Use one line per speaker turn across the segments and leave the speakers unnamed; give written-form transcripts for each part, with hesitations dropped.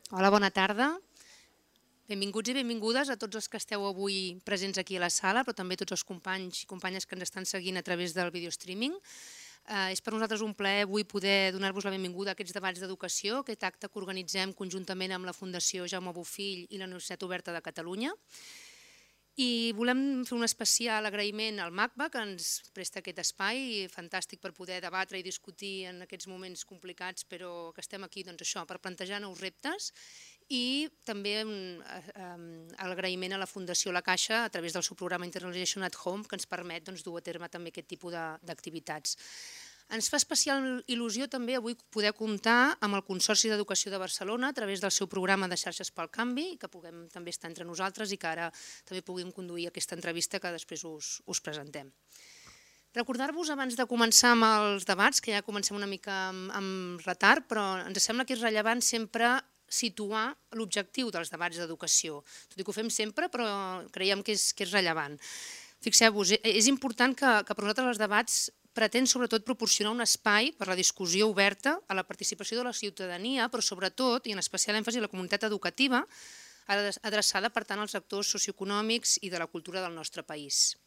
Hola, bona tarda. Benvinguts i benvingudes a tots els que esteu avui presents aquí a la sala, però també a tots els companys i companyes que ens estan seguint a través del videostreaming. És per nosaltres un plaer avui poder donar-vos la benvinguda a aquests debats d'educació, aquest acte que organitzem conjuntament amb la Fundació Jaume Bofill i la Universitat Oberta de Catalunya. I volem fer un especial agraïment al MACBA, que ens presta aquest espai fantàstic per poder debatre i discutir en aquests moments complicats, però que estem aquí per plantejar nous reptes, i també l'agraïment a la Fundació La Caixa a través del seu programa Internationalization at Home, que ens permet dur a terme també aquest tipus d'activitats. Ens fa especial il·lusió també avui poder comptar amb el Consorci d'Educació de Barcelona a través del seu programa de xarxes pel canvi, que puguem també estar entre nosaltres i que ara també puguem conduir aquesta entrevista que després us presentem. Recordar-vos abans de començar amb els debats, que ja comencem una mica amb retard, però ens sembla que és rellevant sempre situar l'objectiu dels debats d'educació. Tot i que ho fem sempre, però creiem que és rellevant. Fixeu-vos, és important que per nosaltres els debats pretén sobretot proporcionar un espai per a la discussió oberta a la participació de la ciutadania, però sobretot, i en especial èmfasi, a la comunitat educativa, adreçada per tant als actors socioeconòmics i de la cultura del nostre país.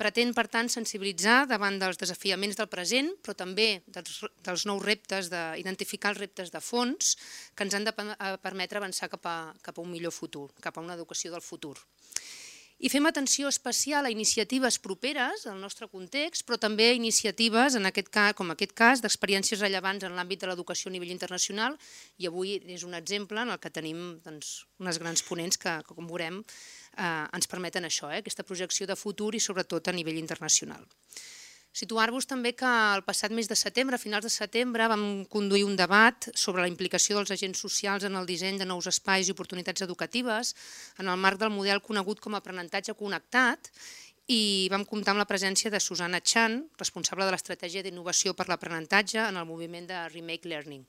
Pretén, per tant, sensibilitzar davant dels desafiaments del present, però també dels nous reptes, d'identificar els reptes de fons que ens han de permetre avançar cap a un millor futur, cap a una educació del futur. I fem atenció especial a iniciatives properes al nostre context, però també a iniciatives, com en aquest cas, d'experiències rellevants en l'àmbit de l'educació a nivell internacional, i avui és un exemple en el que tenim unes grans ponents que, com veurem, ens permeten això, aquesta projecció de futur i sobretot a nivell internacional. Situar-vos també que el passat mes de setembre, a finals de setembre, vam conduir un debat sobre la implicació dels agents socials en el disseny de nous espais i oportunitats educatives en el marc del model conegut com a aprenentatge connectat, i vam comptar amb la presència de Susana Chan, responsable de l'estratègia d'innovació per l'aprenentatge en el moviment de Remake Learning.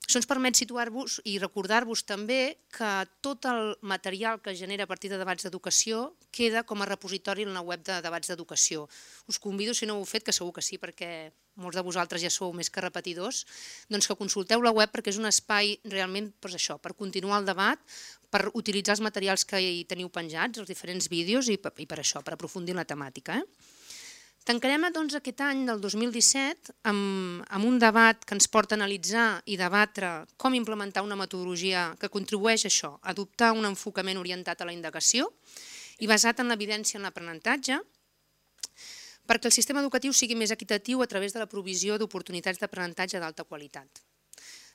Això ens permet situar-vos i recordar-vos també que tot el material que es genera a partir de debats d'educació queda com a repositori en la web de debats d'educació. Us convido, si no ho heu fet, que segur que sí, perquè molts de vosaltres ja sou més que repetidors, doncs que consulteu la web perquè és un espai realment per continuar el debat, per utilitzar els materials que hi teniu penjats, els diferents vídeos i per això, per aprofundir en la temàtica. Tancarem doncs aquest any del 2017 amb un debat que ens porta a analitzar i debatre com implementar una metodologia que contribueix a això, a adoptar un enfocament orientat a la indagació i basat en l'evidència en l'aprenentatge, perquè el sistema educatiu sigui més equitatiu a través de la provisió d'oportunitats d'aprenentatge d'alta qualitat.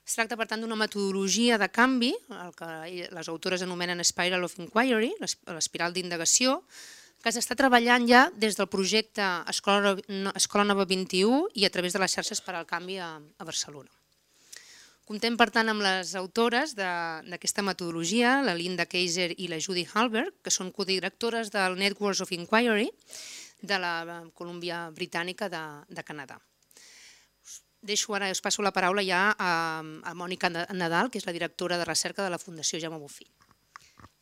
Es tracta, per tant, d'una metodologia de canvi, el que les autores anomenen Spiral of Inquiry, l'espiral d'indagació, que s'està treballant ja des del projecte Escola Nova 21 i a través de les xarxes per al canvi a Barcelona. Comptem, per tant, amb les autores d'aquesta metodologia, la Linda Kaiser i la Judy Halberg, que són codirectores del Networks of Inquiry de la Colúmbia Britànica de Canadà. Us passo la paraula ja a Mònica Nadal, que és la directora de recerca de la Fundació Jaume Bofill.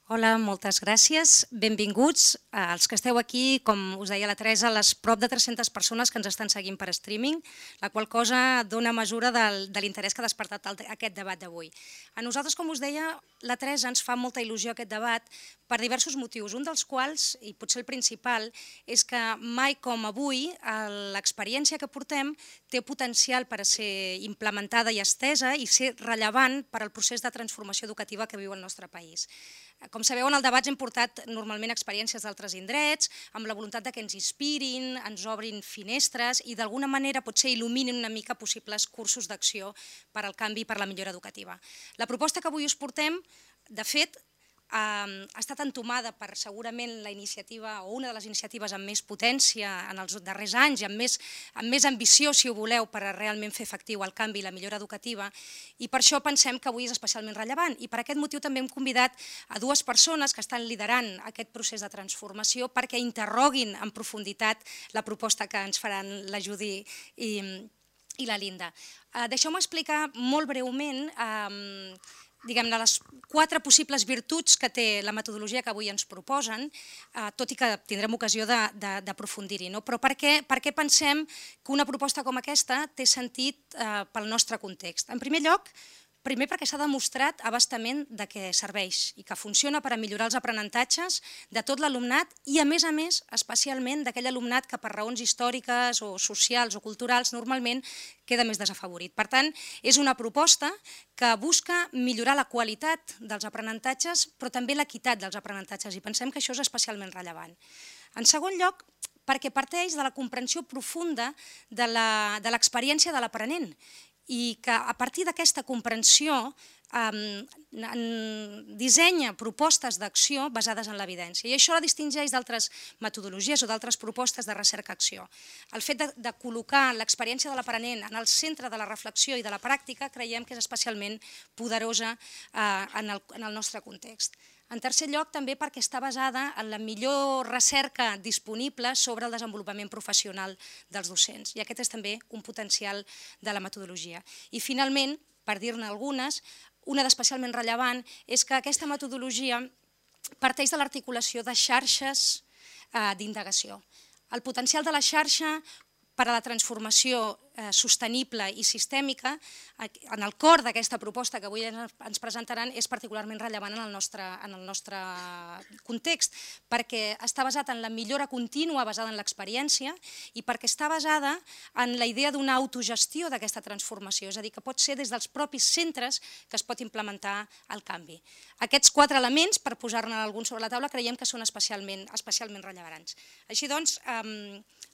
Hola, moltes gràcies. Benvinguts als que esteu aquí, com us deia la Teresa, les prop de 300 persones que ens estan seguint per streaming, la qual cosa dona mesura de l'interès que ha despertat aquest debat d'avui. A nosaltres, com us deia, la Teresa ens fa molta il·lusió aquest debat per diversos motius, un dels quals, i potser el principal, és que mai com avui l'experiència que portem té potencial per a ser implementada i estesa i ser rellevant per al procés de transformació educativa que viu el nostre país. Com sabeu, en el debat hem portat normalment experiències d'altres indrets, amb la voluntat que ens inspirin, ens obrin finestres i d'alguna manera potser il·luminin una mica possibles cursos d'acció per al canvi i per la millora educativa. La proposta que avui us portem, de fet, ha estat entomada per segurament la iniciativa o una de les iniciatives amb més potència en els darrers anys i amb més ambició, si ho voleu, per a realment fer efectiu el canvi i la millora educativa, i per això pensem que avui és especialment rellevant. I per aquest motiu també hem convidat a dues persones que estan liderant aquest procés de transformació perquè interroguin en profunditat la proposta que ens faran la Judy i la Linda. Deixeu-me explicar molt breument diguem-ne, les 4 possibles virtuts que té la metodologia que avui ens proposen, tot i que tindrem ocasió d'aprofundir-hi. Però per què pensem que una proposta com aquesta té sentit pel nostre context? En primer lloc, Primer perquè s'ha demostrat a bastament de què serveix i que funciona per a millorar els aprenentatges de tot l'alumnat i, a més, especialment d'aquell alumnat que per raons històriques o socials o culturals normalment queda més desafavorit. Per tant, és una proposta que busca millorar la qualitat dels aprenentatges, però també l'equitat dels aprenentatges, i pensem que això és especialment rellevant. En segon lloc, perquè parteix de la comprensió profunda de l'experiència de l'aprenent i que a partir d'aquesta comprensió dissenya propostes d'acció basades en l'evidència. I això la distingeix d'altres metodologies o d'altres propostes de recerca-acció. El fet de col·locar l'experiència de l'aprenent en el centre de la reflexió i de la pràctica creiem que és especialment poderosa en el nostre context. En tercer lloc, també perquè està basada en la millor recerca disponible sobre el desenvolupament professional dels docents. I aquest és també un potencial de la metodologia. I finalment, per dir-ne algunes, una d'especialment rellevant és que aquesta metodologia parteix de l'articulació de xarxes d'indagació. El potencial de la xarxa per a la transformació sostenible i sistèmica, en el cor d'aquesta proposta que avui ens presentaran, és particularment rellevant en el nostre context, perquè està basat en la millora contínua basada en l'experiència i perquè està basada en la idea d'una autogestió d'aquesta transformació, és a dir, que pot ser des dels propis centres que es pot implementar el canvi. Aquests 4 elements, per posar-ne alguns sobre la taula, creiem que són especialment rellevants. Així doncs,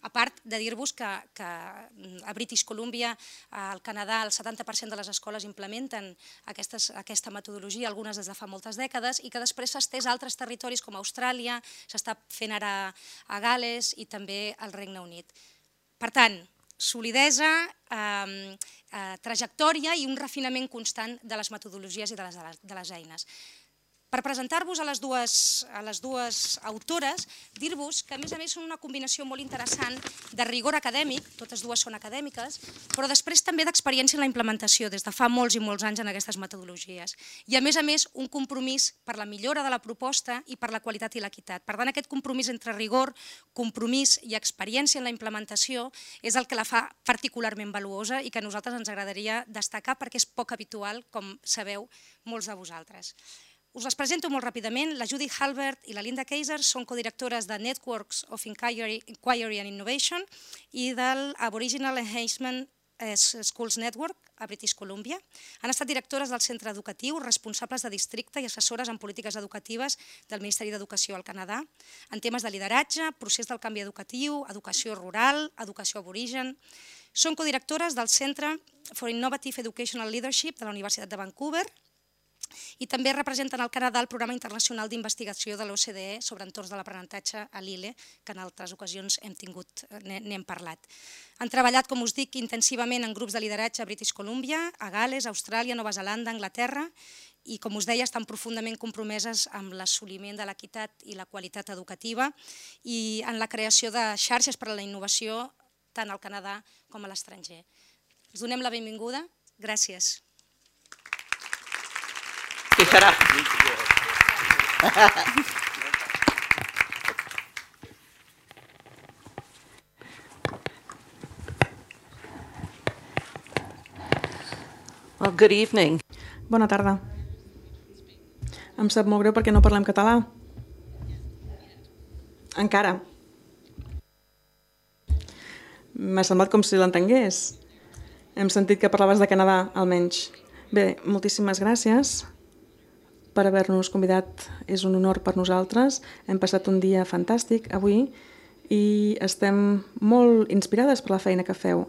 a part de dir-vos que a British Columbia, al Canadà, el 70% de les escoles implementen aquesta metodologia, algunes des de fa moltes dècades, i que després s'ha estès a altres territoris com Austràlia, s'està fent ara a Gal·les i també al Regne Unit. Per tant, solidesa, trajectòria i un refinament constant de les metodologies i de les eines. Per presentar-vos a les dues autores, dir-vos que a més són una combinació molt interessant de rigor acadèmic, totes dues són acadèmiques, però després també d'experiència en la implementació des de fa molts i molts anys en aquestes metodologies. I a més un compromís per la millora de la proposta i per la qualitat i l'equitat. Per tant, aquest compromís entre rigor, compromís i experiència en la implementació és el que la fa particularment valuosa i que a nosaltres ens agradaria destacar perquè és poc habitual, com sabeu molts de vosaltres. Us les presento molt ràpidament. La Judy Halbert i la Linda Kaiser són codirectores de Networks of Inquiry and Innovation i del Aboriginal Enhancement Schools Network a British Columbia. Han estat directores del centre educatiu, responsables de districte i assessores en polítiques educatives del Ministeri d'Educació al Canadà, en temes de lideratge, procés del canvi educatiu, educació rural, educació aborigen. Són codirectores del Centre for Innovative Educational Leadership de la Universitat de Vancouver i també representen al Canadà el programa internacional d'investigació de l'OCDE sobre entorns de l'aprenentatge a l'ILE, que en altres ocasions n'hem parlat. Han treballat, com us dic, intensivament en grups de lideratge a British Columbia, a Gal·les, Austràlia, Nova Zelanda, Anglaterra, i, com us deia, estan profundament compromeses amb l'assoliment de l'equitat i la qualitat educativa i en la creació de xarxes per a la innovació tant al Canadà com a l'estranger. Us donem la benvinguda. Gràcies.
Fijarà. Well, good evening.
Bona tarda. Em sap molt greu perquè no parlem català. Encara. M'ha semblat com si l'entengués. Hem sentit que parlaves de Canadà, almenys. Bé, moltíssimes gràcies per haver-nos convidat. És un honor per nosaltres. Hem passat un dia fantàstic avui i estem molt inspirades per la feina que feu.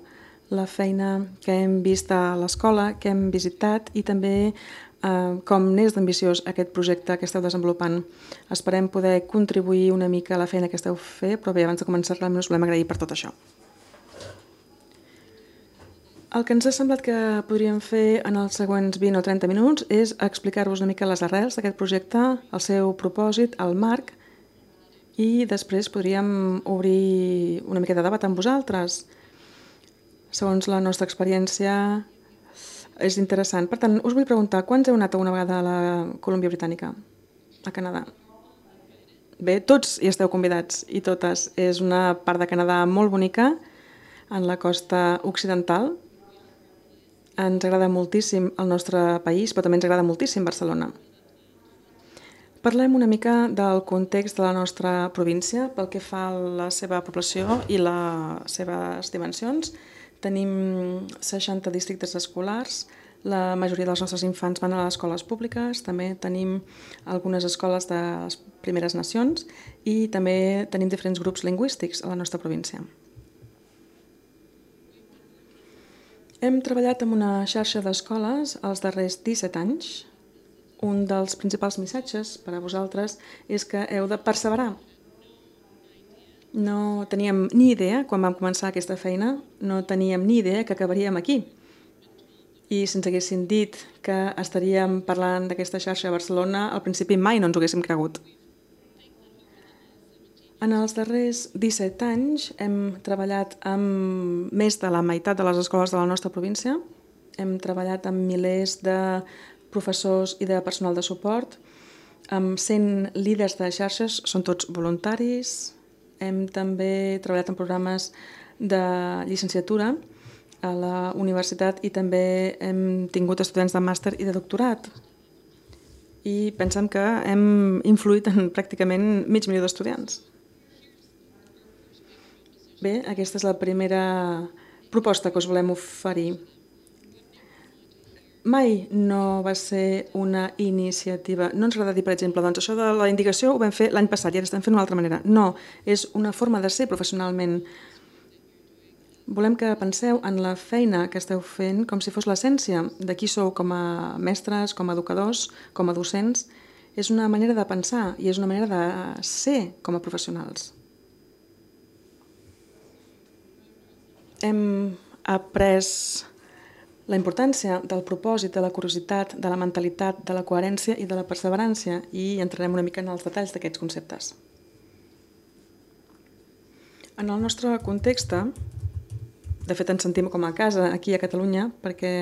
La feina que hem vist a l'escola, que hem visitat i també com n'és d'ambiciós aquest projecte que esteu desenvolupant. Esperem poder contribuir una mica a la feina que esteu fent, però bé, abans de començar realment us volem agrair per tot això. El que ens ha semblat que podríem fer en els següents 20 o 30 minuts és explicar-vos una mica les arrels d'aquest projecte, el seu propòsit, el marc, i després podríem obrir una mica de debat amb vosaltres. Segons la nostra experiència, és interessant. Per tant, us vull preguntar, quants heu anat alguna vegada a la Colúmbia Britànica, a Canadà? Bé, tots hi esteu convidats i totes. És una part de Canadà molt bonica, en la costa occidental, Ens agrada moltíssim el nostre país, però també ens agrada moltíssim Barcelona. Parlem una mica del context de la nostra província pel que fa a la seva població i les seves dimensions. Tenim 60 districtes escolars, la majoria dels nostres infants van a les escoles públiques, també tenim algunes escoles de les primeres nacions i també tenim diferents grups lingüístics a la nostra província. Hem treballat amb una xarxa d'escoles els darrers 17 anys. Un dels principals missatges per a vosaltres és que heu de perseverar. No teníem ni idea, quan vam començar aquesta feina, no teníem ni idea que acabaríem aquí. I si ens haguessin dit que estaríem parlant d'aquesta xarxa a Barcelona, al principi mai no ens ho haguéssim cregut. En els darrers 17 anys hem treballat amb més de la meitat de les escoles de la nostra província. Hem treballat amb milers de professors i de personal de suport, amb 100 líders de xarxes, són tots voluntaris. Hem també treballat en programes de llicenciatura a la universitat i també hem tingut estudiants de màster i de doctorat. I pensem que hem influït en pràcticament mig milió d'estudiants. Bé, aquesta és la primera proposta que us volem oferir. Mai no va ser una iniciativa. No ens agrada dir, per exemple, doncs això de la indicació ho vam fer l'any passat i ara estem fent d'una altra manera. No, és una forma de ser professionalment. Volem que penseu en la feina que esteu fent com si fos l'essència de qui sou com a mestres, com a educadors, com a docents. És una manera de pensar i és una manera de ser com a professionals. Hem après la importància del propòsit, de la curiositat, de la mentalitat, de la coherència i de la perseverància i entrarem una mica en els detalls d'aquests conceptes. En el nostre context, de fet ens sentim com a casa aquí a Catalunya perquè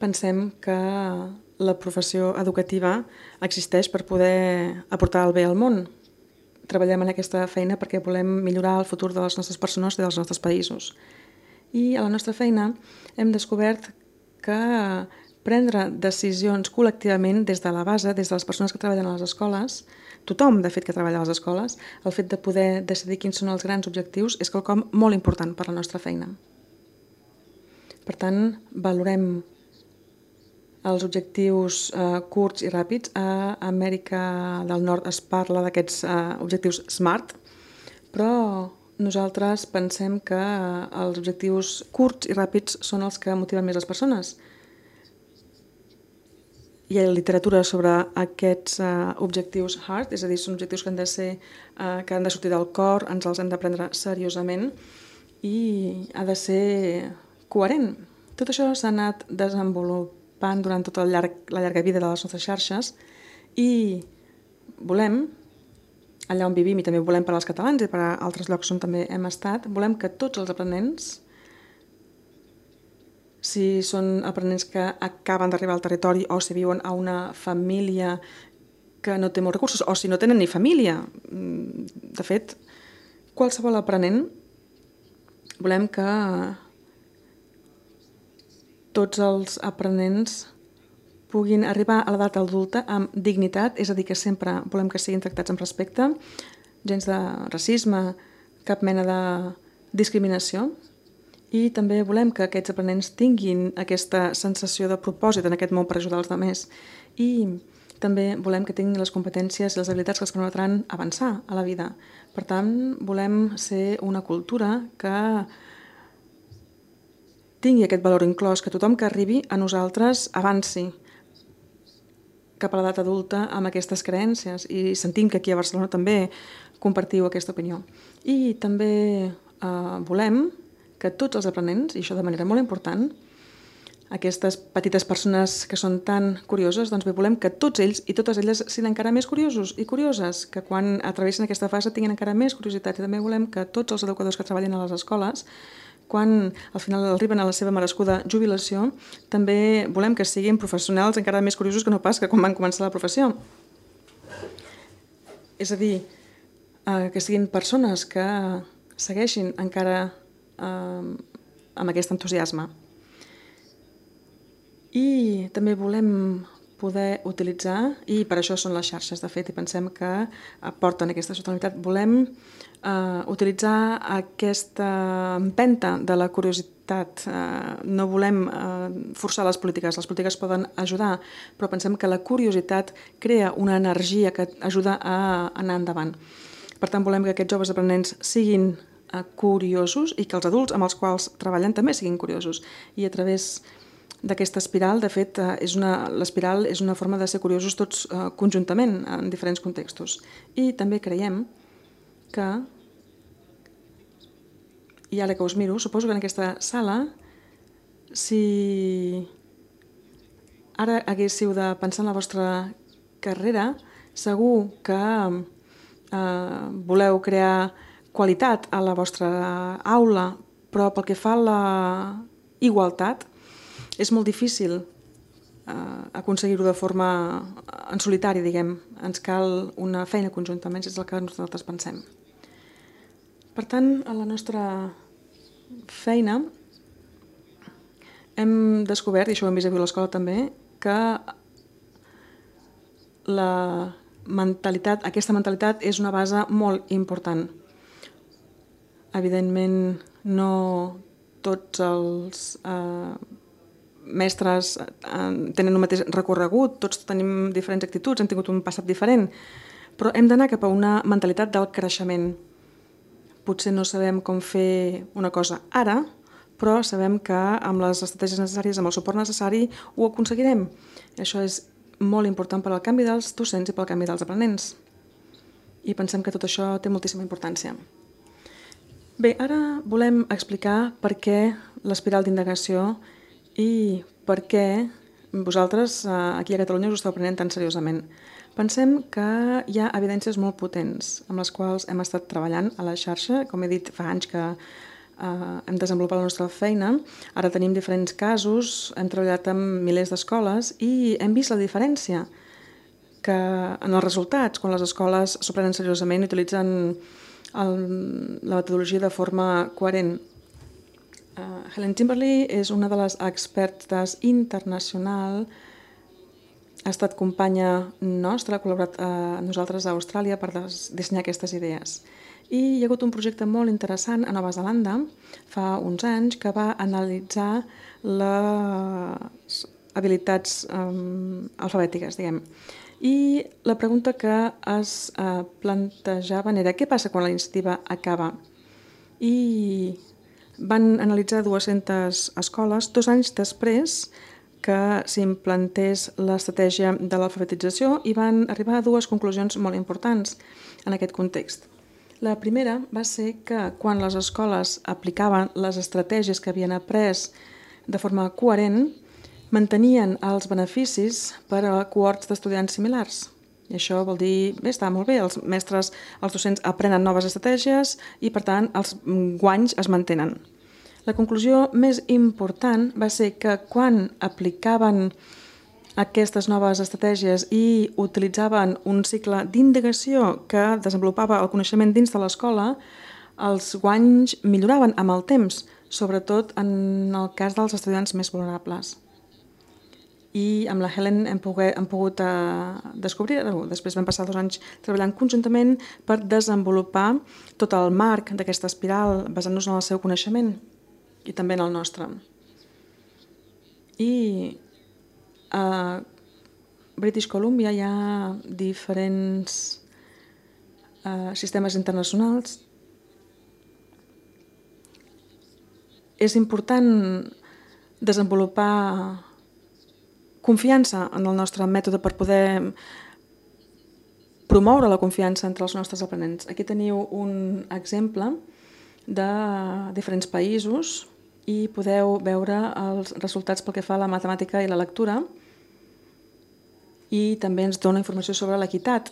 pensem que la professió educativa existeix per poder aportar el bé al món. Treballem en aquesta feina perquè volem millorar el futur de les nostres persones i dels nostres països. I a la nostra feina hem descobert que prendre decisions col·lectivament des de la base, des de les persones que treballen a les escoles, tothom, de fet, que treballa a les escoles, el fet de poder decidir quins són els grans objectius és quelcom molt important per a la nostra feina. Per tant, valorem els objectius curts i ràpids. A Amèrica del Nord es parla d'aquests objectius SMART, però nosaltres pensem que els objectius curts i ràpids són els que motiven més les persones. Hi ha literatura sobre aquests objectius HEART, és a dir, són objectius que han de sortir del cor, ens els hem de prendre seriosament i ha de ser coherent. Tot això s'ha anat desenvolupant durant tota la llarga vida de les nostres xarxes i volem, allà on vivim i també volem per als catalans i per a altres llocs on també hem estat, volem que tots els aprenents, si són aprenents que acaben d'arribar al territori o si viuen a una família que no té molts recursos o si no tenen ni família, de fet, qualsevol aprenent volem que tots els aprenents puguin arribar a l'edat adulta amb dignitat, és a dir, que sempre volem que siguin tractats amb respecte, gens de racisme, cap mena de discriminació, i també volem que aquests aprenents tinguin aquesta sensació de propòsit en aquest món per ajudar els altres, i també volem que tinguin les competències i les habilitats que els permetran avançar a la vida. Per tant, volem ser una cultura que tingui aquest valor inclòs, que tothom que arribi a nosaltres avanci cap a l'edat adulta amb aquestes creences i sentim que aquí a Barcelona també compartiu aquesta opinió. I també volem que tots els aprenents, i això de manera molt important, aquestes petites persones que són tan curioses, doncs bé, volem que tots ells i totes elles siguin encara més curiosos i curioses, que quan atravessen aquesta fase tinguin encara més curiositat. I també volem que tots els educadors que treballen a les escoles, quan al final arriben a la seva merescuda jubilació, també volem que siguin professionals encara més curiosos que no pas que quan van començar la professió. És a dir, que siguin persones que segueixin encara amb aquest entusiasme. I també volem poder utilitzar, i per això són les xarxes de fet, i pensem que aporten aquesta sostenibilitat, volem utilitzar aquesta empenta de la curiositat. No volem forçar les polítiques poden ajudar, però pensem que la curiositat crea una energia que ajuda a anar endavant. Per tant, volem que aquests joves aprenents siguin curiosos i que els adults amb els quals treballen també siguin curiosos. I a través d'aquesta espiral, de fet, l'espiral és una forma de ser curiosos tots conjuntament en diferents contextos. I també creiem que, i ara que us miro, suposo que en aquesta sala, si ara haguéssiu de pensar en la vostra carrera, segur que voleu crear qualitat a la vostra aula, però pel que fa a la igualtat, és molt difícil aconseguir-ho de forma en solitari, diguem. Ens cal una feina conjunta, almenys és el que nosaltres pensem. Per tant, a la nostra feina hem descobert, i això ho hem vist avui a l'escola també, que aquesta mentalitat és una base molt important. Evidentment, no tots els mestres tenen un mateix recorregut, tots tenim diferents actituds, hem tingut un passat diferent, però hem d'anar cap a una mentalitat del creixement. Potser no sabem com fer una cosa ara, però sabem que amb les estratègies necessàries, amb el suport necessari, ho aconseguirem. Això és molt important per al canvi dels docents i pel canvi dels aprenents. I pensem que tot això té moltíssima importància. Bé, ara volem explicar per què l'espiral d'indagació i per què vosaltres aquí a Catalunya us esteu prenent tan seriosament. Pensem que hi ha evidències molt potents amb les quals hem estat treballant a la xarxa. Com he dit, fa anys que hem desenvolupat la nostra feina. Ara tenim diferents casos, hem treballat amb milers d'escoles i hem vist la diferència que en els resultats, quan les escoles s'ho prenen seriosament i utilitzen la metodologia de forma coherent. Helen Timberly és una de les expertes internacional, ha estat companya nostra, ha col·laborat amb nosaltres a Austràlia per dissenyar aquestes idees. I hi ha hagut un projecte molt interessant a Nova Zelanda fa uns anys que va analitzar les habilitats alfabètiques, diguem. I la pregunta que es plantejaven era què passa quan la iniciativa acaba? I van analitzar 200 escoles 2 anys després que s'implantés l'estratègia de l'alfabetització i van arribar a 2 conclusions molt importants en aquest context. La primera va ser que quan les escoles aplicaven les estratègies que havien après de forma coherent, mantenien els beneficis per a cohorts d'estudiants similars. I això vol dir, bé, està molt bé, els docents aprenen noves estratègies i, per tant, els guanys es mantenen. La conclusió més important va ser que quan aplicaven aquestes noves estratègies i utilitzaven un cicle d'indagació que desenvolupava el coneixement dins de l'escola, els guanys milloraven amb el temps, sobretot en el cas dels estudiants més vulnerables. I amb la Helen hem pogut descobrir, després vam passar 2 anys treballant conjuntament per desenvolupar tot el marc d'aquesta espiral basant-nos en el seu coneixement i també en el nostre. I a British Columbia hi ha diferents sistemes internacionals. És important desenvolupar confiança en el nostre mètode per poder promoure la confiança entre els nostres aprenents. Aquí teniu un exemple de diferents països i podeu veure els resultats pel que fa a la matemàtica i la lectura i també ens dona informació sobre l'equitat.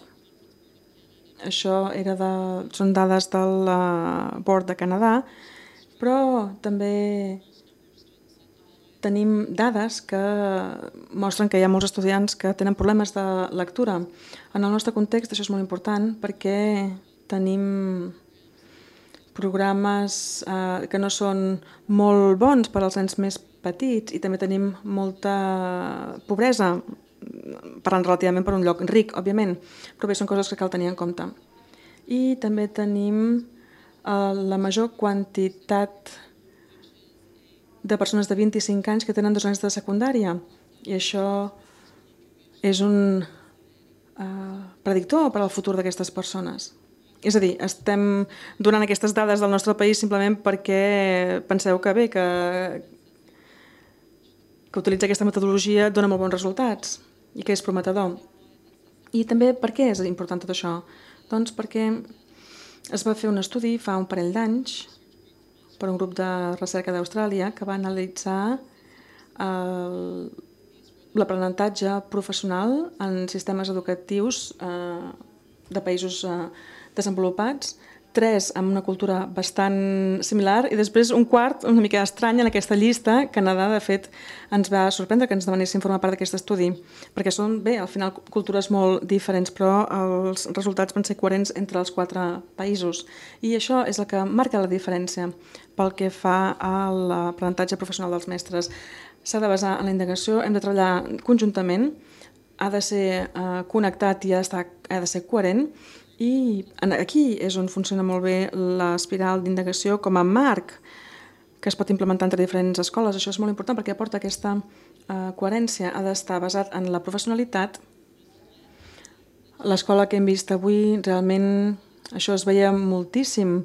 Això són dades del Board de Canadà, però també tenim dades que mostren que hi ha molts estudiants que tenen problemes de lectura. En el nostre context això és molt important perquè tenim programes que no són molt bons per als nens més petits i també tenim molta pobresa, parlant relativament per un lloc ric, òbviament, però bé, són coses que cal tenir en compte. I també tenim la major quantitat de persones de 25 anys que tenen 2 anys de secundària i això és un predictor per al futur d'aquestes persones. És a dir, estem donant aquestes dades del nostre país simplement perquè penseu que bé, que utilitzar aquesta metodologia dona molt bons resultats i que és prometedor. I també per què és important tot això? Doncs perquè es va fer un estudi fa un parell d'anys per un grup de recerca d'Austràlia que va analitzar l'aprenentatge professional en sistemes educatius de països desenvolupats, 3 amb una cultura bastant similar i després un quart una mica estrany en aquesta llista. Canadà, de fet, ens va sorprendre que ens demanessin formar part d'aquest estudi, perquè són, bé, al final cultures molt diferents, però els resultats van ser coherents entre els 4 països. I això és el que marca la diferència pel que fa a l'aprenentatge professional dels mestres. S'ha de basar en la indagació, hem de treballar conjuntament, ha de ser connectat i ha de ser coherent. I aquí és on funciona molt bé l'espiral d'indagació com a marc que es pot implementar entre diferents escoles. Això és molt important perquè aporta aquesta coherència. Ha d'estar basat en la professionalitat. L'escola que hem vist avui, realment això es veia moltíssim.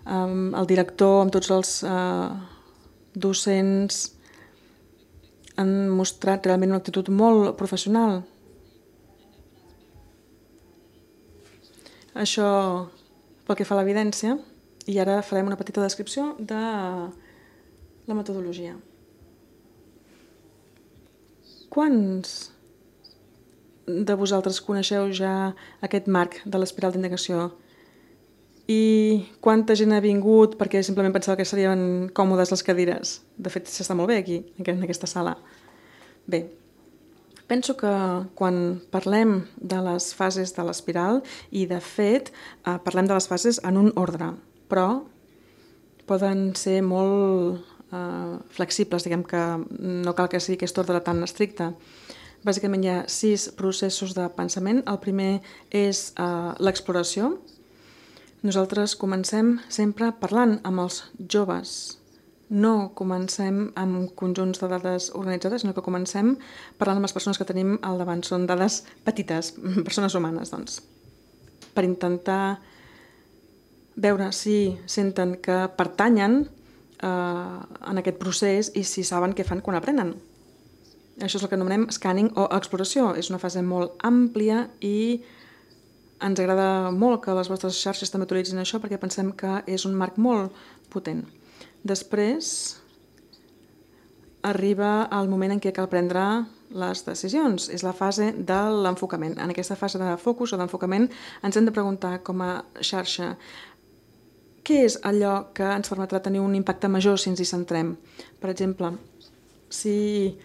El director amb tots els docents han mostrat realment una actitud molt professional. Això pel que fa a l'evidència, i ara farem una petita descripció de la metodologia. Quants de vosaltres coneixeu ja aquest marc de l'espiral d'indagació? I quanta gent ha vingut perquè simplement pensava que serien còmodes les cadires? De fet, s'està molt bé aquí, en aquesta sala. Bé, penso que quan parlem de les fases de l'espiral, i de fet parlem de les fases en un ordre, però poden ser molt flexibles, diguem que no cal que sigui aquest ordre tan estricte. Bàsicament hi ha 6 processos de pensament. El primer és l'exploració. Nosaltres comencem sempre parlant amb els joves. No comencem amb conjunts de dades organitzades, sinó que comencem parlant amb les persones que tenim al davant. Són dades petites, persones humanes, doncs, per intentar veure si senten que pertanyen en aquest procés i si saben què fan quan aprenen. Això és el que anomenem scanning o exploració. És una fase molt àmplia i ens agrada molt que les vostres xarxes també utilitzin això perquè pensem que és un marc molt potent. Després arriba el moment en què cal prendre les decisions. És la fase de l'enfocament. En aquesta fase de focus o d'enfocament ens hem de preguntar com a xarxa què és allò que ens permetrà tenir un impacte major si ens hi centrem. Per exemple, si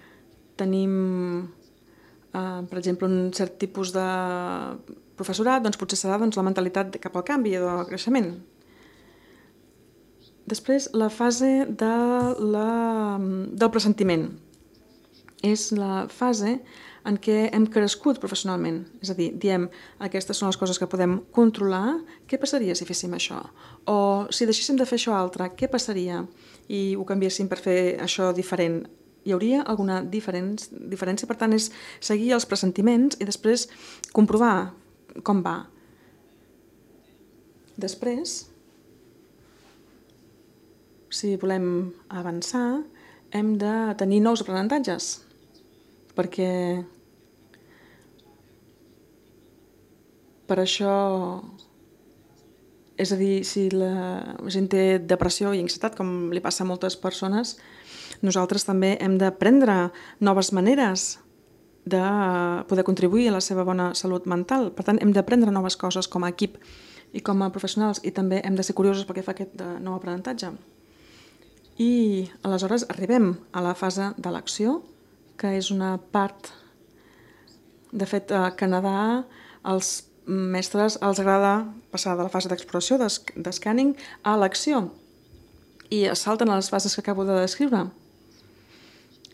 tenim un cert tipus de professorat, doncs potser serà la mentalitat cap al canvi o al creixement. Després, la fase del pressentiment. És la fase en què hem crescut professionalment. És a dir, diem, aquestes són les coses que podem controlar, què passaria si féssim això? O si deixéssim de fer això altre, què passaria? I ho canviéssim per fer això diferent. Hi hauria alguna diferència? Per tant, és seguir els pressentiments i després comprovar com va. Després, si volem avançar, hem de tenir nous aprenentatges, perquè per això, és a dir, si la gent té depressió i ansietat, com li passa a moltes persones, nosaltres també hem d'aprendre noves maneres de poder contribuir a la seva bona salut mental. Per tant, hem d'aprendre noves coses com a equip i com a professionals i també hem de ser curiosos pel que fa a aquest nou aprenentatge. I aleshores arribem a la fase de l'acció, que és una part... De fet, a Canadà els mestres els agrada passar de la fase d'exploració, d'escàning, a l'acció i es salten a les fases que acabo de descriure.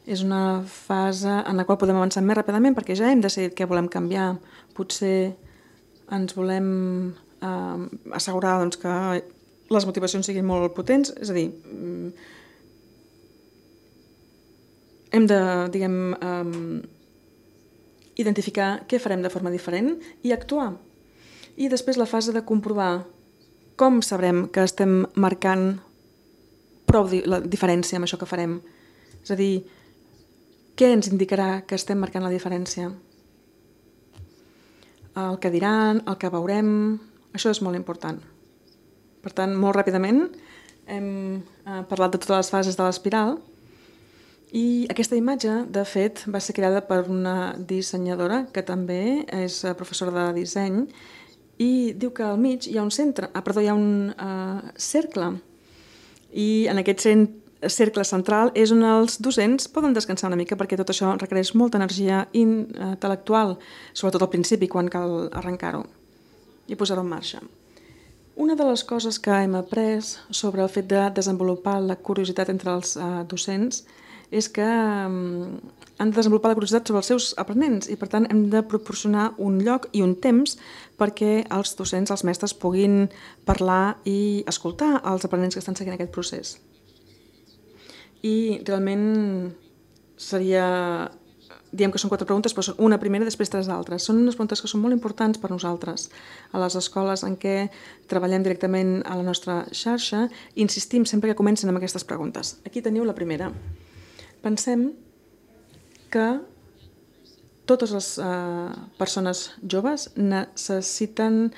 És una fase en la qual podem avançar més ràpidament perquè ja hem decidit què volem canviar. Potser ens volem assegurar que les motivacions siguin molt potents, és a dir, hem de, identificar què farem de forma diferent i actuar. I després la fase de comprovar com sabrem que estem marcant prou la diferència amb això que farem. És a dir, què ens indicarà que estem marcant la diferència? El que diran, el que veurem, això és molt important. Per tant, molt ràpidament hem parlat de totes les fases de l'espiral i aquesta imatge, de fet, va ser creada per una dissenyadora que també és professora de disseny i diu que al mig hi ha un cercle i en aquest cercle central és on els docents poden descansar una mica perquè tot això requereix molta energia intel·lectual, sobretot al principi quan cal arrencar-ho i posar-ho en marxa. Una de les coses que hem après sobre el fet de desenvolupar la curiositat entre els docents és que han de desenvolupar la curiositat sobre els seus aprenents i per tant hem de proporcionar un lloc i un temps perquè els docents, els mestres, puguin parlar i escoltar els aprenents que estan seguint aquest procés. I realment seria, diem que són 4 preguntes, però són una primera i després 3 altres. Són unes preguntes que són molt importants per nosaltres. A les escoles en què treballem directament a la nostra xarxa, insistim sempre que comencen amb aquestes preguntes. Aquí teniu la primera. Pensem que totes les persones joves necessiten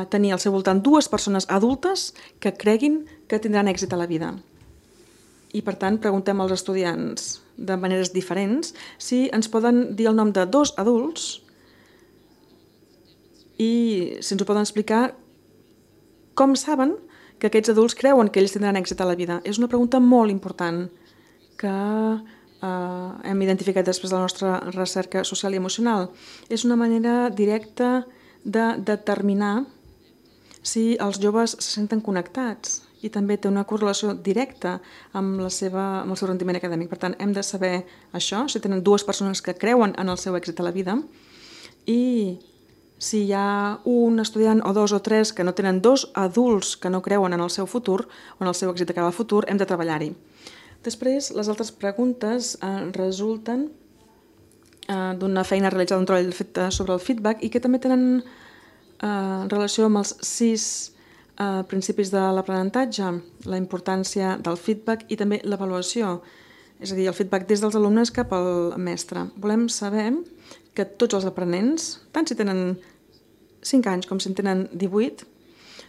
tenir al seu voltant 2 persones adultes que creguin que tindran èxit a la vida. I, per tant, preguntem als estudiants de maneres diferents si ens poden dir el nom de 2 adults i si ens ho poden explicar com saben que aquests adults creuen que ells tindran èxit a la vida. És una pregunta molt important que hem identificat després de la nostra recerca social i emocional. És una manera directa de determinar si els joves se senten connectats i també té una correlació directa amb el seu rendiment acadèmic. Per tant, hem de saber això, si tenen 2 persones que creuen en el seu èxit a la vida i si hi ha un estudiant o 2 o 3 que no tenen 2 adults que no creuen en el seu futur o en el seu èxit de cara al futur, hem de treballar-hi. Després, les altres preguntes resulten d'una feina realitzada, un treball fet sobre el feedback i que també tenen relació amb els 6 principis de l'aprenentatge, la importància del feedback i també l'avaluació, és a dir, el feedback des dels alumnes cap al mestre. Volem saber que tots els aprenents, tant si tenen 5 anys com si en tenen 18,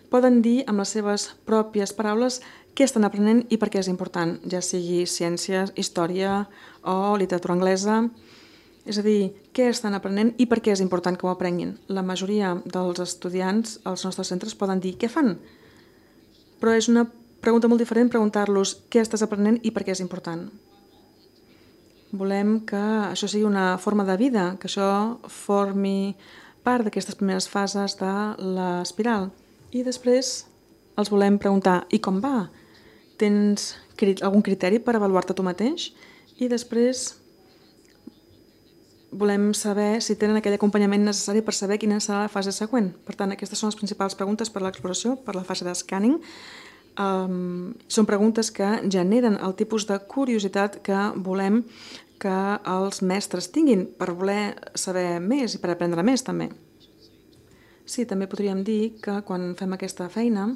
poden dir amb les seves pròpies paraules què estan aprenent i per què és important, ja sigui ciències, història o literatura anglesa. És a dir, què estan aprenent i per què és important que ho aprenguin. La majoria dels estudiants als nostres centres poden dir què fan, però és una pregunta molt diferent preguntar-los què estàs aprenent i per què és important. Volem que això sigui una forma de vida, que això formi part d'aquestes primeres fases de l'espiral. I després els volem preguntar i com va? Tens algun criteri per avaluar-te tu mateix? I després volem saber si tenen aquell acompanyament necessari per saber quina serà la fase següent. Per tant, aquestes són les principals preguntes per a l'exploració, per la fase d'escàning. Són preguntes que generen el tipus de curiositat que volem que els mestres tinguin per voler saber més i per aprendre més també. Sí, també podríem dir que quan fem aquesta feina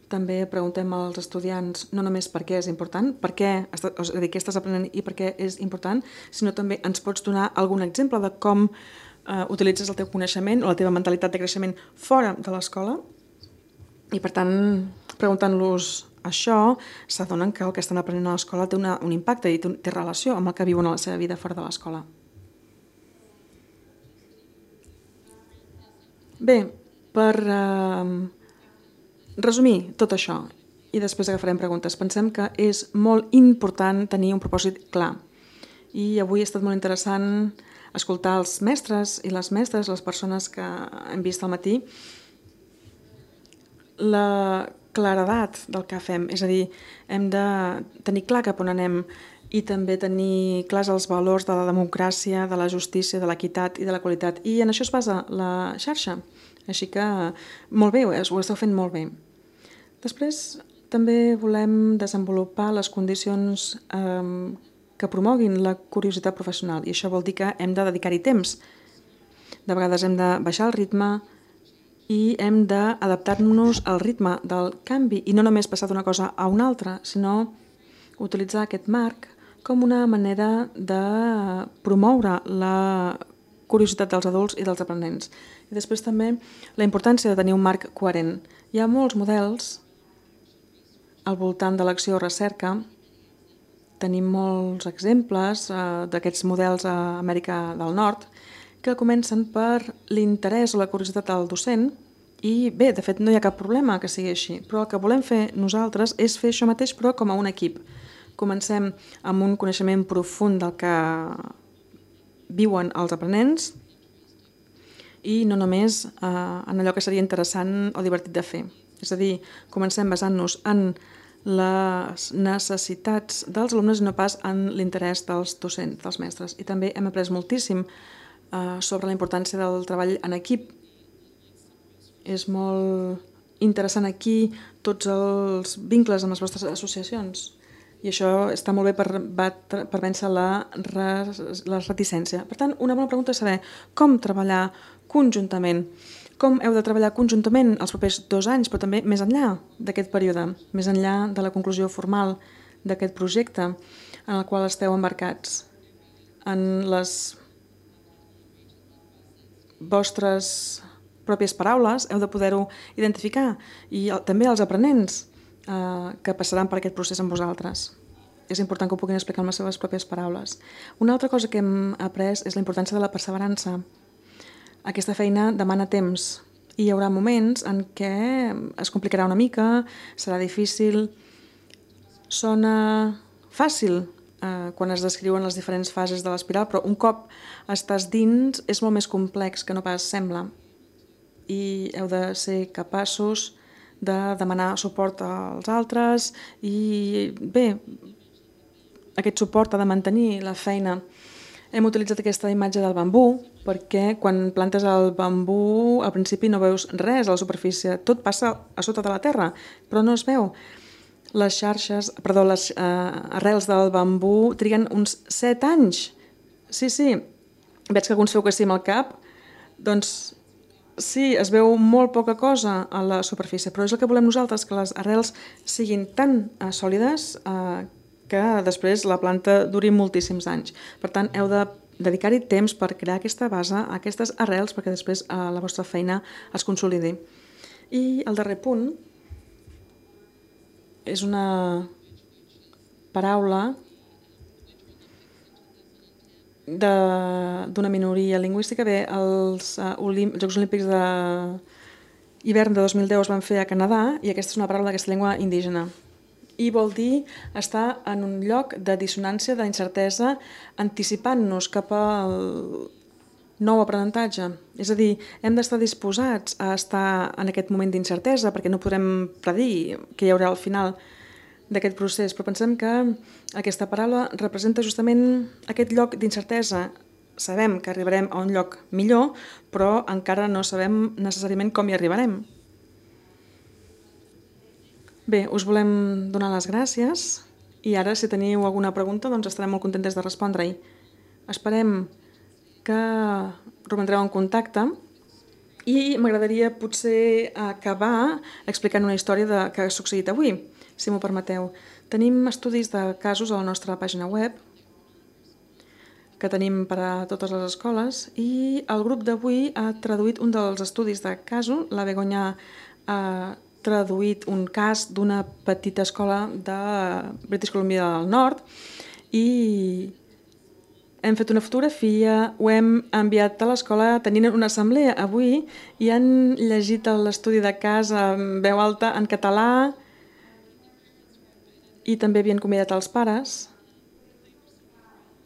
també preguntem als estudiants no només per què és important, què estàs aprenent i per què és important, sinó també ens pots donar algun exemple de com utilitzes el teu coneixement o la teva mentalitat de creixement fora de l'escola. I per tant, preguntant-los això, s'adonen que el que estan aprenent a l'escola té un impacte i té relació amb el que viuen a la seva vida fora de l'escola. Bé, per resumir tot això i després agafarem preguntes. Pensem que és molt important tenir un propòsit clar i avui ha estat molt interessant escoltar els mestres i les mestres, les persones que hem vist al matí, la claredat del que fem, és a dir, hem de tenir clar cap on anem i també tenir clars els valors de la democràcia, de la justícia, de l'equitat i de la qualitat. I en això es basa la xarxa. Així que molt bé, ho esteu fent molt bé. Després també volem desenvolupar les condicions que promoguin la curiositat professional i això vol dir que hem de dedicar-hi temps. De vegades hem de baixar el ritme i hem d'adaptar-nos al ritme del canvi i no només passar d'una cosa a una altra, sinó utilitzar aquest marc com una manera de promoure la curiositat dels adults i dels aprenents. I després també la importància de tenir un marc coherent. Hi ha molts models al voltant de l'acció o recerca. Tenim molts exemples d'aquests models a Amèrica del Nord que comencen per l'interès o la curiositat del docent i bé, de fet no hi ha cap problema que sigui així, però el que volem fer nosaltres és fer això mateix però com a un equip. Comencem amb un coneixement profund del que viuen els aprenents i no només en allò que seria interessant o divertit de fer. És a dir, comencem basant-nos en les necessitats dels alumnes i no pas en l'interès dels docents, dels mestres. I també hem après moltíssim sobre la importància del treball en equip. És molt interessant aquí tots els vincles amb les vostres associacions i això està molt bé per vèncer la reticència. Per tant, una bona pregunta és saber com treballar conjuntament. Com heu de treballar conjuntament els propers 2 anys, però també més enllà d'aquest període, més enllà de la conclusió formal d'aquest projecte en el qual esteu embarcats. En les vostres pròpies paraules heu de poder-ho identificar i també els aprenents que passaran per aquest procés amb vosaltres. És important que ho puguin explicar amb les seves pròpies paraules. Una altra cosa que hem après és la importància de la perseverança. Aquesta feina demana temps i hi haurà moments en què es complicarà una mica, serà difícil, sona fàcil quan es descriuen les diferents fases de l'espiral, però un cop estàs dins és molt més complex que no pas sembla i heu de ser capaços de demanar suport als altres i bé, aquest suport ha de mantenir la feina. Hem utilitzat aquesta imatge del bambú perquè quan plantes el bambú al principi no veus res a la superfície, tot passa a sota de la terra, però no es veu. Les arrels del bambú triguen uns 7 anys. Sí, veig que alguns feu que sí amb el cap, doncs sí, es veu molt poca cosa a la superfície, però és el que volem nosaltres, que les arrels siguin tan sòlides que després la planta duri moltíssims anys. Per tant, heu de dedicar-hi temps per crear aquesta base, aquestes arrels, perquè després la vostra feina es consolidi. I el darrer punt és una paraula d'una minoria lingüística. Bé, els Jocs Olímpics d'hivern de 2010 es van fer a Canadà i aquesta és una paraula d'aquesta llengua indígena. I vol dir estar en un lloc de dissonància, d'incertesa, anticipant-nos cap al nou aprenentatge. És a dir, hem d'estar disposats a estar en aquest moment d'incertesa perquè no podrem predir què hi haurà al final d'aquest procés, però pensem que aquesta paraula representa justament aquest lloc d'incertesa. Sabem que arribarem a un lloc millor, però encara no sabem necessàriament com hi arribarem. Bé, us volem donar les gràcies i ara si teniu alguna pregunta doncs estarem molt contentes de respondre-hi. Esperem que romandreu en contacte i m'agradaria potser acabar explicant una història que ha succeït avui, si m'ho permeteu. Tenim estudis de casos a la nostra pàgina web que tenim per a totes les escoles i el grup d'avui ha traduït un dels estudis de casos. La Begoña ha traduït un cas d'una petita escola de British Columbia del Nord i hem fet una fotografia, ho hem enviat a l'escola tenint una assemblea avui i han llegit l'estudi de cas en veu alta en català i també havien convidat els pares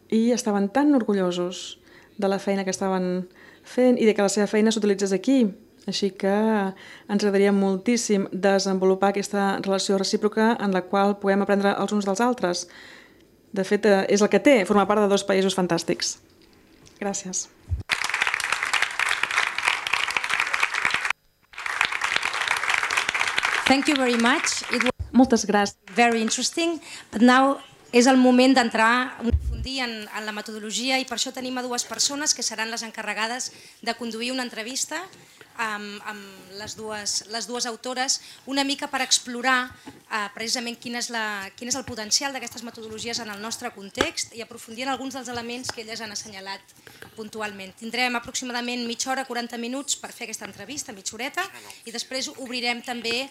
i estaven tan orgullosos de la feina que estaven fent i de que la seva feina s'utilitzés aquí. Així que ens agradaria moltíssim desenvolupar aquesta relació recíproca en la qual puguem aprendre els uns dels altres. De fet, és el que té formar part de dos països fantàstics. Gràcies.
Thank you very much. It was
Moltes gràcies.
very interesting, but now és el moment d'entrar a aprofundir en la metodologia i per això tenim a dues persones que seran les encarregades de conduir una entrevista amb les dues autores, una mica per explorar precisament quin és el potencial d'aquestes metodologies en el nostre context i aprofundir en alguns dels elements que elles han assenyalat puntualment. Tindrem aproximadament mitja hora, 40 minuts per fer aquesta entrevista, mitja horeta, i després obrirem també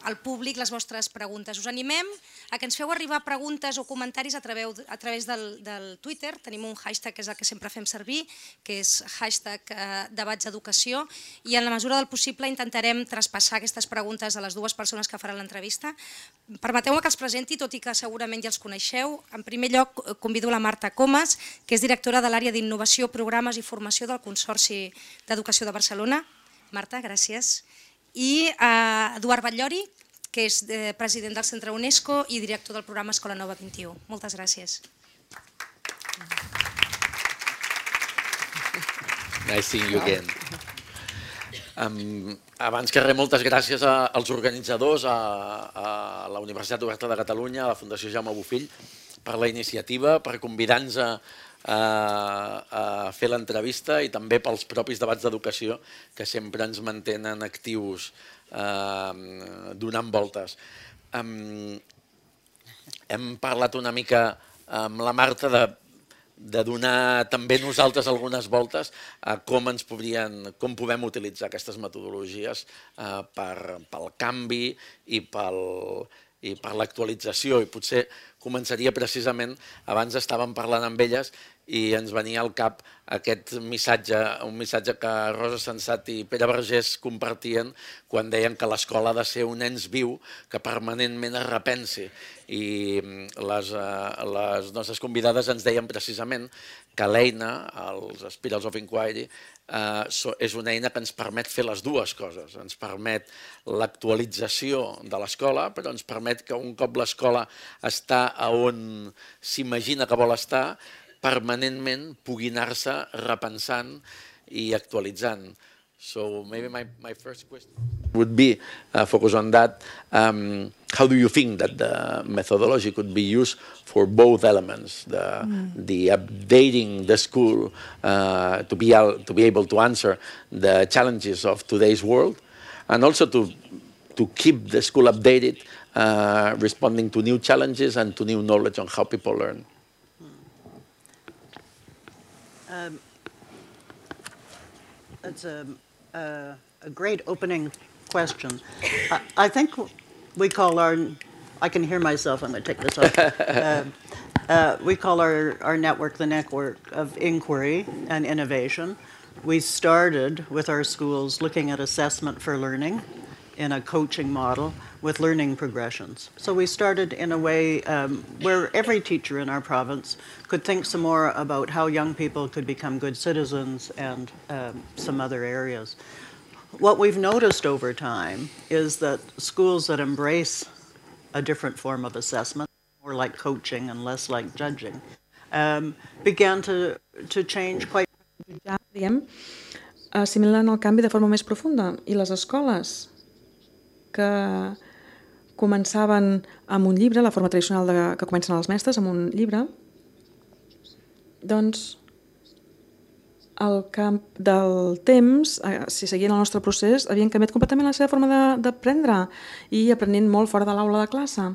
al públic les vostres preguntes. Us animem a que ens feu arribar preguntes o comentaris a través del Twitter. Tenim un hashtag que és el que sempre fem servir, que és hashtag debats d'educació, i en la mesura del possible intentarem traspassar aquestes preguntes a les dues persones que faran l'entrevista. Permeteu-me que els presenti, tot i que segurament ja els coneixeu. En primer lloc, convido la Marta Comas, que és directora de l'àrea d'innovació, programes i formació del Consorci d'Educació de Barcelona. Marta, gràcies. I Eduard Batllori, que és president del Centre UNESCO i director del programa Escola Nova 21. Moltes gràcies.
Nice seeing you again. Abans que res, moltes gràcies als organitzadors, a la Universitat Oberta de Catalunya, a la Fundació Jaume Bofill, per la iniciativa, per convidar-nos a fer l'entrevista i també pels propis debats d'educació que sempre ens mantenen actius donant voltes. Hem parlat una mica amb la Marta de donar també nosaltres algunes voltes a com podem utilitzar aquestes metodologies pel canvi i per l'actualització. I potser començaria precisament, abans estàvem parlant amb elles i ens venia al cap aquest missatge, un missatge que Rosa Sensat i Pere Vergés compartien quan deien que l'escola ha de ser un ens viu que permanentment es repensi. I les nostres convidades ens deien precisament que l'eina, els Spirals of Inquiry, és una eina que ens permet fer les dues coses. Ens permet l'actualització de l'escola, però ens permet que un cop l'escola està on s'imagina que vol estar, permanentment pugui anar-se repensant i actualitzant. So maybe my first question would be focus on that. How do you think that the methodology could be used for both elements, the updating the school to be able to answer the challenges of today's world, and also to keep the school updated, responding to new challenges and to new knowledge on how people learn?
That's a great opening question. I think we call I can hear myself, I'm going to take this off. We call our network the network of inquiry and innovation. We started with our schools looking at assessment for learning in a coaching model with learning progressions. So we started in a way where every teacher in our province could think some more about how young people could become good citizens and some other areas. What we've noticed over time is that schools that embrace a different form of assessment, more like coaching and less like judging, began to change quite.
Diem, assimilant el canvi de forma més profunda, i les escoles que començaven amb un llibre, la forma tradicional que comencen els mestres, amb un llibre, doncs al camp del temps, si seguien el nostre procés, havien canviat completament la seva forma d'aprendre i aprenent molt fora de l'aula de classe.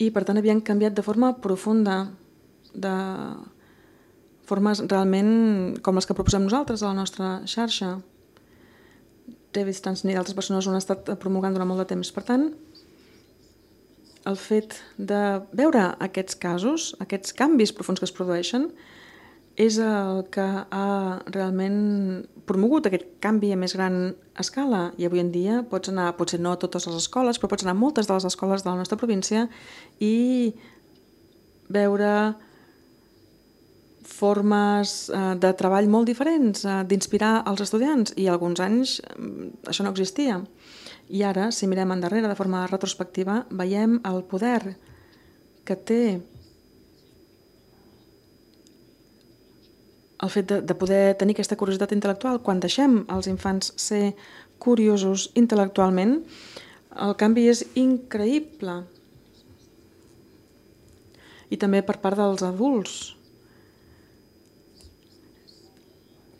I per tant havien canviat de forma profunda, de formes realment com les que proposem nosaltres a la nostra xarxa. David Stansny i d'altres persones ho han estat promulgant durant molt de temps. Per tant, el fet de veure aquests casos, aquests canvis profunds que es produeixen, és el que ha realment promogut aquest canvi a més gran escala. I avui en dia pots anar, potser no a totes les escoles, però pots anar a moltes de les escoles de la nostra província i veure formes de treball molt diferents, d'inspirar els estudiants, i alguns anys això no existia. I ara, si mirem endarrere de forma retrospectiva, veiem el poder que té el fet de poder tenir aquesta curiositat intel·lectual. Quan deixem els infants ser curiosos intel·lectualment, el canvi és increïble. I també per part dels adults.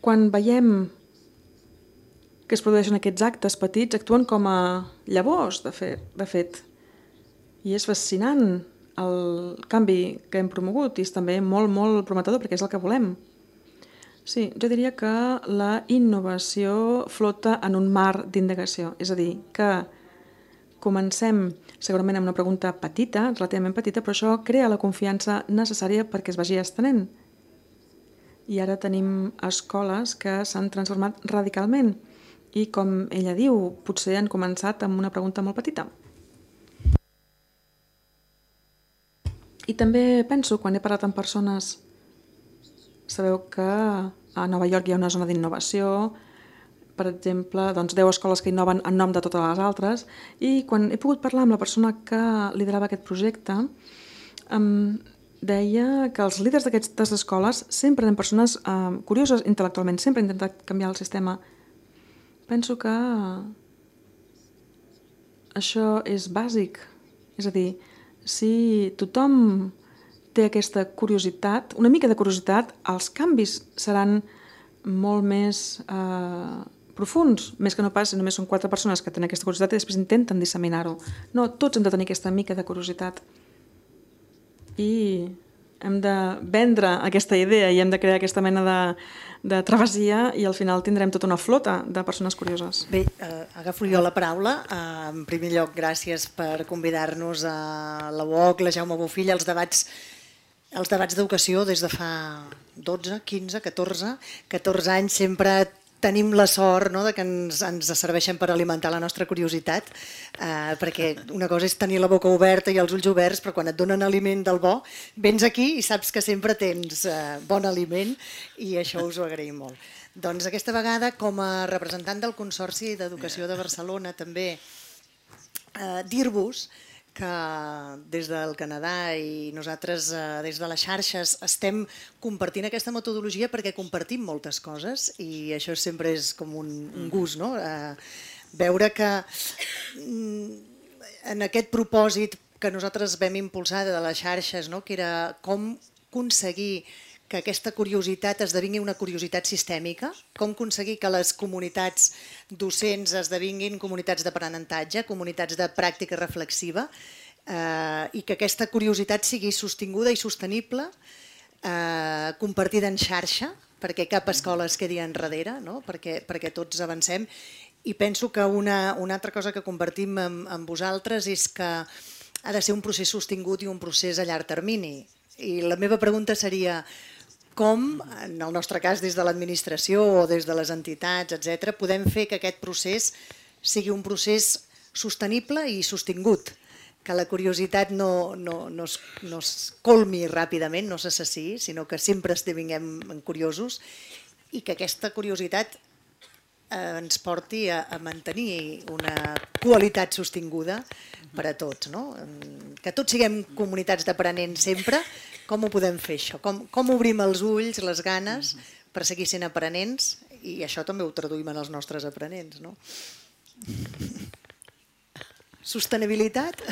Quan veiem que es produeixen aquests actes petits, actuen com a llavors, de fet. I és fascinant el canvi que hem promogut, i és també molt, molt prometedor, perquè és el que volem. Sí, jo diria que la innovació flota en un mar d'indagació, és a dir, que comencem segurament amb una pregunta petita, relativament petita, però això crea la confiança necessària perquè es vagi estenent. I ara tenim escoles que s'han transformat radicalment i, com ella diu, potser han començat amb una pregunta molt petita. I també penso, quan he parlat amb persones, sabeu que a Nova York hi ha una zona d'innovació, per exemple, 10 escoles que innoven en nom de totes les altres, i quan he pogut parlar amb la persona que liderava aquest projecte, em deia que els líders d'aquestes escoles sempre eren persones curioses intel·lectualment, sempre han intentat canviar el sistema. Penso que això és bàsic, és a dir, si tothom té aquesta curiositat, una mica de curiositat, els canvis seran molt més profuns, més que no pas si només són 4 persones que tenen aquesta curiositat i després intenten disseminar-ho. No, tots hem de tenir aquesta mica de curiositat. I hem de vendre aquesta idea i hem de crear aquesta mena de travessia, i al final tindrem tota una flota de persones curioses.
Bé, agafo jo la paraula. En primer lloc, gràcies per convidar-nos a la UOC, la Jaume Bofill, als debats d'educació des de fa 12, 15, 14 anys. Sempre tenim la sort que ens serveixen per alimentar la nostra curiositat, perquè una cosa és tenir la boca oberta i els ulls oberts, però quan et donen aliment del bo, vens aquí i saps que sempre tens bon aliment, i això us ho agraïm molt. Doncs aquesta vegada, com a representant del Consorci d'Educació de Barcelona, també dir-vos que des del Canadà i nosaltres des de les xarxes estem compartint aquesta metodologia perquè compartim moltes coses, i això sempre és com un gust, no? Veure que en aquest propòsit que nosaltres vam impulsar de les xarxes, que era com aconseguir que aquesta curiositat esdevingui una curiositat sistèmica, com aconseguir que les comunitats docents esdevinguin comunitats d'aprenentatge, comunitats de pràctica reflexiva, i que aquesta curiositat sigui sostinguda i sostenible, compartida en xarxa, perquè cap escola es quedi enrere, perquè tots avancem. I penso que una altra cosa que compartim amb vosaltres és que ha de ser un procés sostingut i un procés a llarg termini. I la meva pregunta seria: com, en el nostre cas des de l'administració o des de les entitats, etc., podem fer que aquest procés sigui un procés sostenible i sostingut, que la curiositat no es colmi ràpidament, no s'assassiï, sinó que sempre esdevinguem curiosos, i que aquesta curiositat ens porti a mantenir una qualitat sostinguda per a tots. Que tots siguem comunitats d'aprenents sempre. Com ho podem fer, això? Com obrim els ulls, les ganes, per seguir sent aprenents? I això també ho traduïm en els nostres aprenents. Sostenibilitat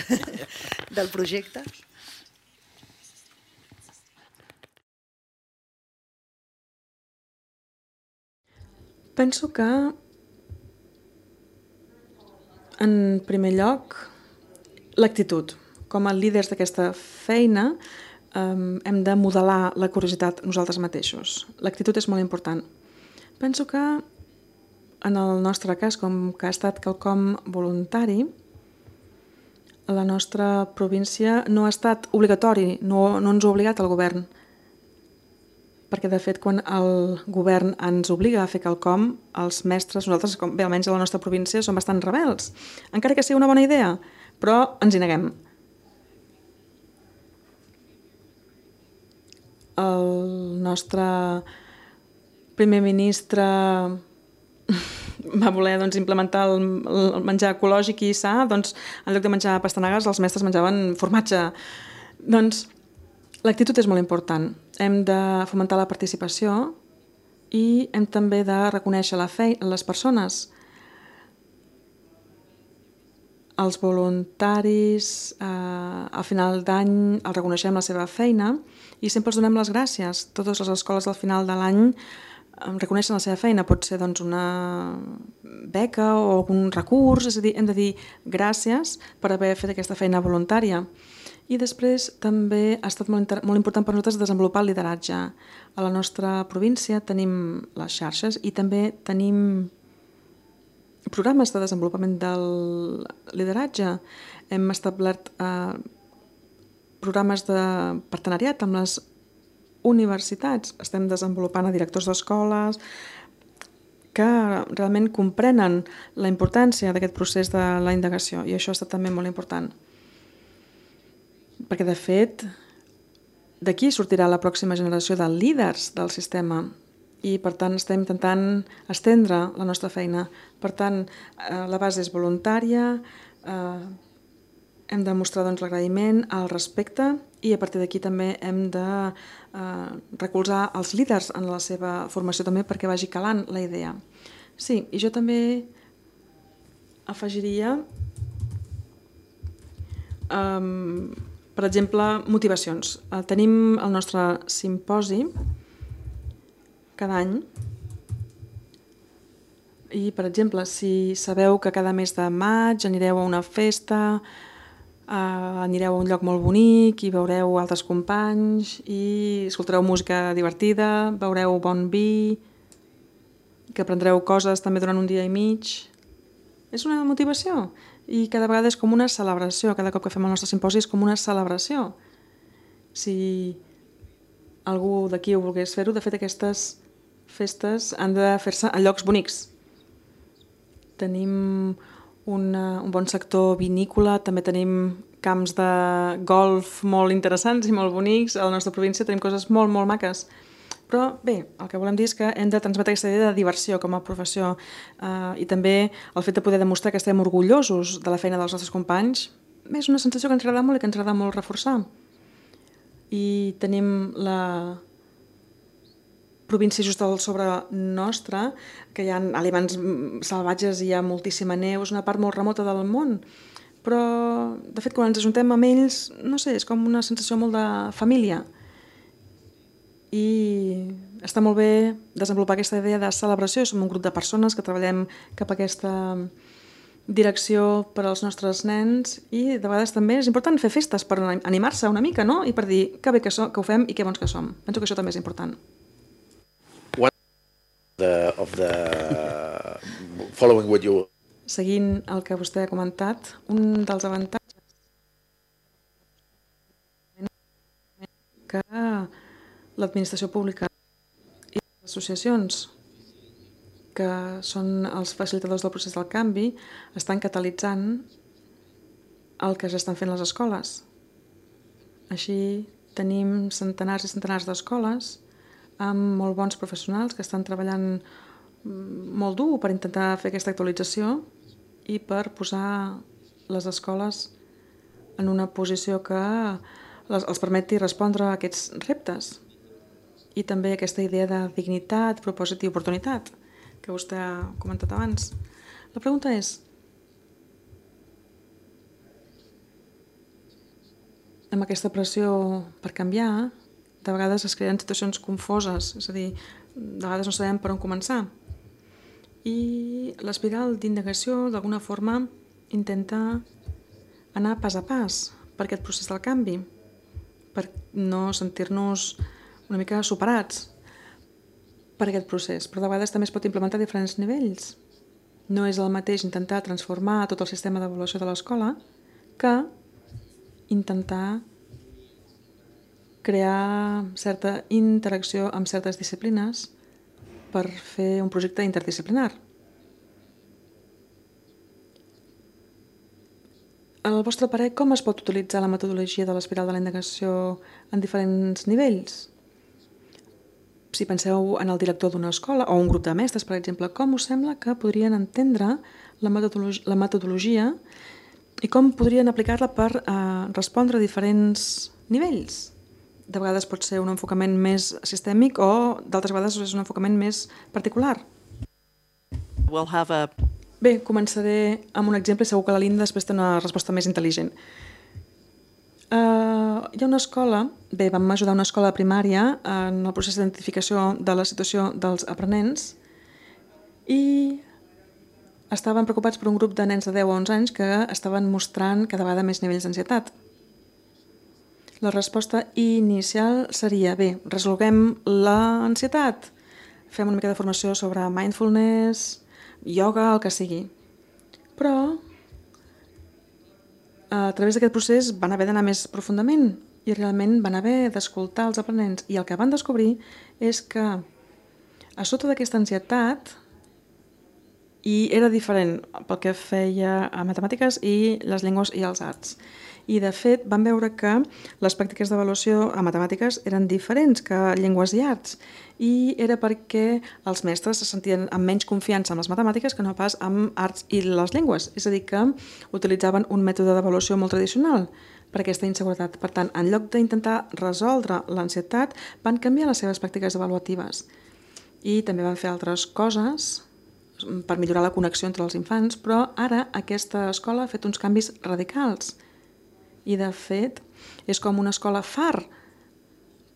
del projecte.
Penso que, en primer lloc, l'actitud. Com a líders d'aquesta feina, hem de modelar la curiositat nosaltres mateixos. L'actitud és molt important. Penso que, en el nostre cas, com que ha estat quelcom voluntari, la nostra província no ha estat obligatori, no ens ha obligat el govern. Perquè, de fet, quan el govern ens obliga a fer quelcom, els mestres, nosaltres, bé, almenys a la nostra província, som bastant rebels. Encara que sigui una bona idea, però ens hi neguem. El nostre primer ministre va voler implementar el menjar ecològic i sa, doncs en lloc de menjar pastanagues els mestres menjaven formatge. Doncs l'actitud és molt important. Hem de fomentar la participació i hem també de reconèixer les persones. Els voluntaris, al final d'any els reconeixem la seva feina i sempre els donem les gràcies. Totes les escoles al final de l'any reconeixen la seva feina, pot ser una beca o algun recurs, és a dir, hem de dir gràcies per haver fet aquesta feina voluntària. I després també ha estat molt important per nosaltres desenvolupar el lideratge. A la nostra província tenim les xarxes i també tenim programes de desenvolupament del lideratge. Hem establert programes de partenariat amb les universitats. Estem desenvolupant a directors d'escoles que realment comprenen la importància d'aquest procés de la indagació i això ha estat també molt important. Perquè, de fet, d'aquí sortirà la pròxima generació de líders del sistema i, per tant, estem intentant estendre la nostra feina. Per tant, la base és voluntària, hem de mostrar l'agraïment, el respecte i a partir d'aquí també hem de recolzar els líders en la seva formació també perquè vagi calant la idea. Sí, i jo també afegiria, per exemple, motivacions. Tenim el nostre simposi cada any i, per exemple, si sabeu que cada mes de maig anireu a una festa, anireu a un lloc molt bonic i veureu altres companys i escoltareu música divertida, beureu bon vi, que aprendreu coses també durant un dia i mig. És una motivació i cada vegada és com una celebració. Cada cop que fem el nostre simposi és com una celebració. Si algú d'aquí ho volgués fer-ho, de fet aquestes festes han de fer-se a llocs bonics. Tenim un bon sector vinícola, també tenim camps de golf molt interessants i molt bonics. A la nostra província tenim coses molt, molt maques. Però bé, el que volem dir és que hem de transmetre aquesta idea de diversió com a professió i també el fet de poder demostrar que estem orgullosos de la feina dels nostres companys és una sensació que ens agrada molt i que ens agrada molt reforçar. I tenim la província just al sobre nostra, que hi ha aliments salvatges i hi ha moltíssima neu, és una part molt remota del món, però de fet quan ens ajuntem amb ells, no sé, és com una sensació molt de família. I està molt bé desenvolupar aquesta idea de celebració. Som un grup de persones que treballem cap a aquesta direcció per als nostres nens i de vegades també és important fer festes per animar-se una mica, no? I per dir que bé que ho fem i que bons que som. Penso que això també és important. Seguint el que vostè ha comentat, un dels avantatges que l'administració pública i les associacions, que són els facilitadors del procés del canvi, estan catalitzant el que s'estan fent les escoles. Així tenim centenars i centenars d'escoles amb molt bons professionals que estan treballant molt dur per intentar fer aquesta actualització i per posar les escoles en una posició que els permeti respondre a aquests reptes. I també aquesta idea de dignitat, propòsit i oportunitat que vostè ha comentat abans. La pregunta és, amb aquesta pressió per canviar, de vegades es creen situacions confoses, és a dir, de vegades no sabem per on començar. I l'espiral d'indagació, d'alguna forma, intenta anar pas a pas per aquest procés del canvi, per no sentir-nos una mica superats per aquest procés, però de vegades també es pot implementar a diferents nivells. No és el mateix intentar transformar tot el sistema d'avaluació de l'escola que intentar crear certa interacció amb certes disciplines per fer un projecte interdisciplinar. Al vostre parer, com es pot utilitzar la metodologia de l'espiral de la indagació en diferents nivells? si penseu en el director d'una escola o un grup de mestres, per exemple, com us sembla que podrien entendre la metodologia i com podrien aplicar-la per respondre a diferents nivells? De vegades pot ser un enfocament més sistèmic o d'altres vegades és un enfocament més particular. Bé, començaré amb un exemple i segur que la Linda després té una resposta més intel·ligent. Hi ha una escola, vam ajudar una escola primària en el procés d'identificació de la situació dels aprenents i estaven preocupats per un grup de nens de 10 o 11 anys que estaven mostrant cada vegada més nivells d'ansietat. La resposta inicial seria, resolguem l'ansietat, fem una mica de formació sobre mindfulness, ioga, el que sigui. Però a través d'aquest procés van haver d'anar més profundament i realment van haver d'escoltar els aprenents i el que van descobrir és que a sota d'aquesta ansietat i era diferent pel que feia a matemàtiques i les llengües i els arts. I, de fet, van veure que les pràctiques d'avaluació a matemàtiques eren diferents que llengües i arts. I era perquè els mestres se sentien amb menys confiança en les matemàtiques que no pas amb arts i les llengües. És a dir, que utilitzaven un mètode d'avaluació molt tradicional per aquesta inseguretat. Per tant, en lloc d'intentar resoldre l'ansietat, van canviar les seves pràctiques avaluatives. I també van fer altres coses per millorar la connexió entre els infants, però ara aquesta escola ha fet uns canvis radicals. I, de fet, és com una escola far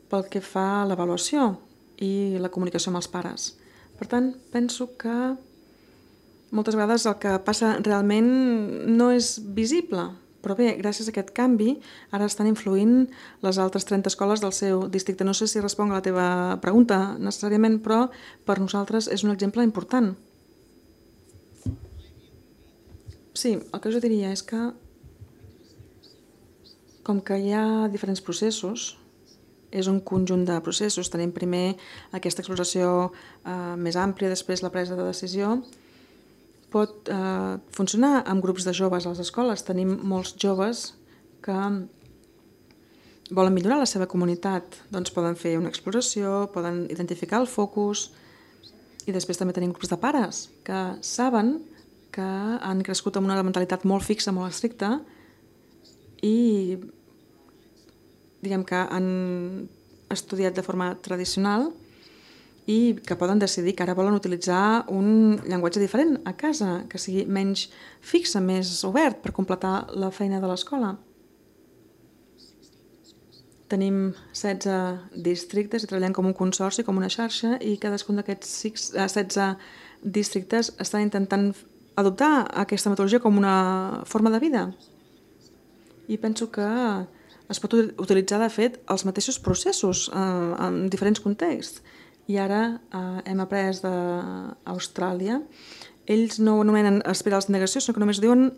pel que fa a l'avaluació i la comunicació amb els pares. Per tant, penso que moltes vegades el que passa realment no és visible, però bé, gràcies a aquest canvi, ara estan influint les altres 30 escoles del seu districte. No sé si responc a la teva pregunta necessàriament, però per nosaltres és un exemple important. Sí, el que jo diria és que com que hi ha diferents processos, és un conjunt de processos. Tenim primer aquesta exploració més àmplia, després la presa de decisió. Pot funcionar amb grups de joves a les escoles. Tenim molts joves que volen millorar la seva comunitat. Doncs poden fer una exploració, poden identificar el focus i després també tenim grups de pares que saben que han crescut amb una mentalitat molt fixa, molt estricta i diguem que han estudiat de forma tradicional i que poden decidir que ara volen utilitzar un llenguatge diferent a casa, que sigui menys fixe, més obert per completar la feina de l'escola. Tenim 16 districtes i treballem com un consorci, com una xarxa, i cadascun d'aquests 16 districtes estan intentant adoptar aquesta metodologia com una forma de vida. I penso que es pot utilitzar, de fet, els mateixos processos en diferents contexts. I ara hem après d'Austràlia. Ells no ho anomenen espirals de negació, sinó que només diuen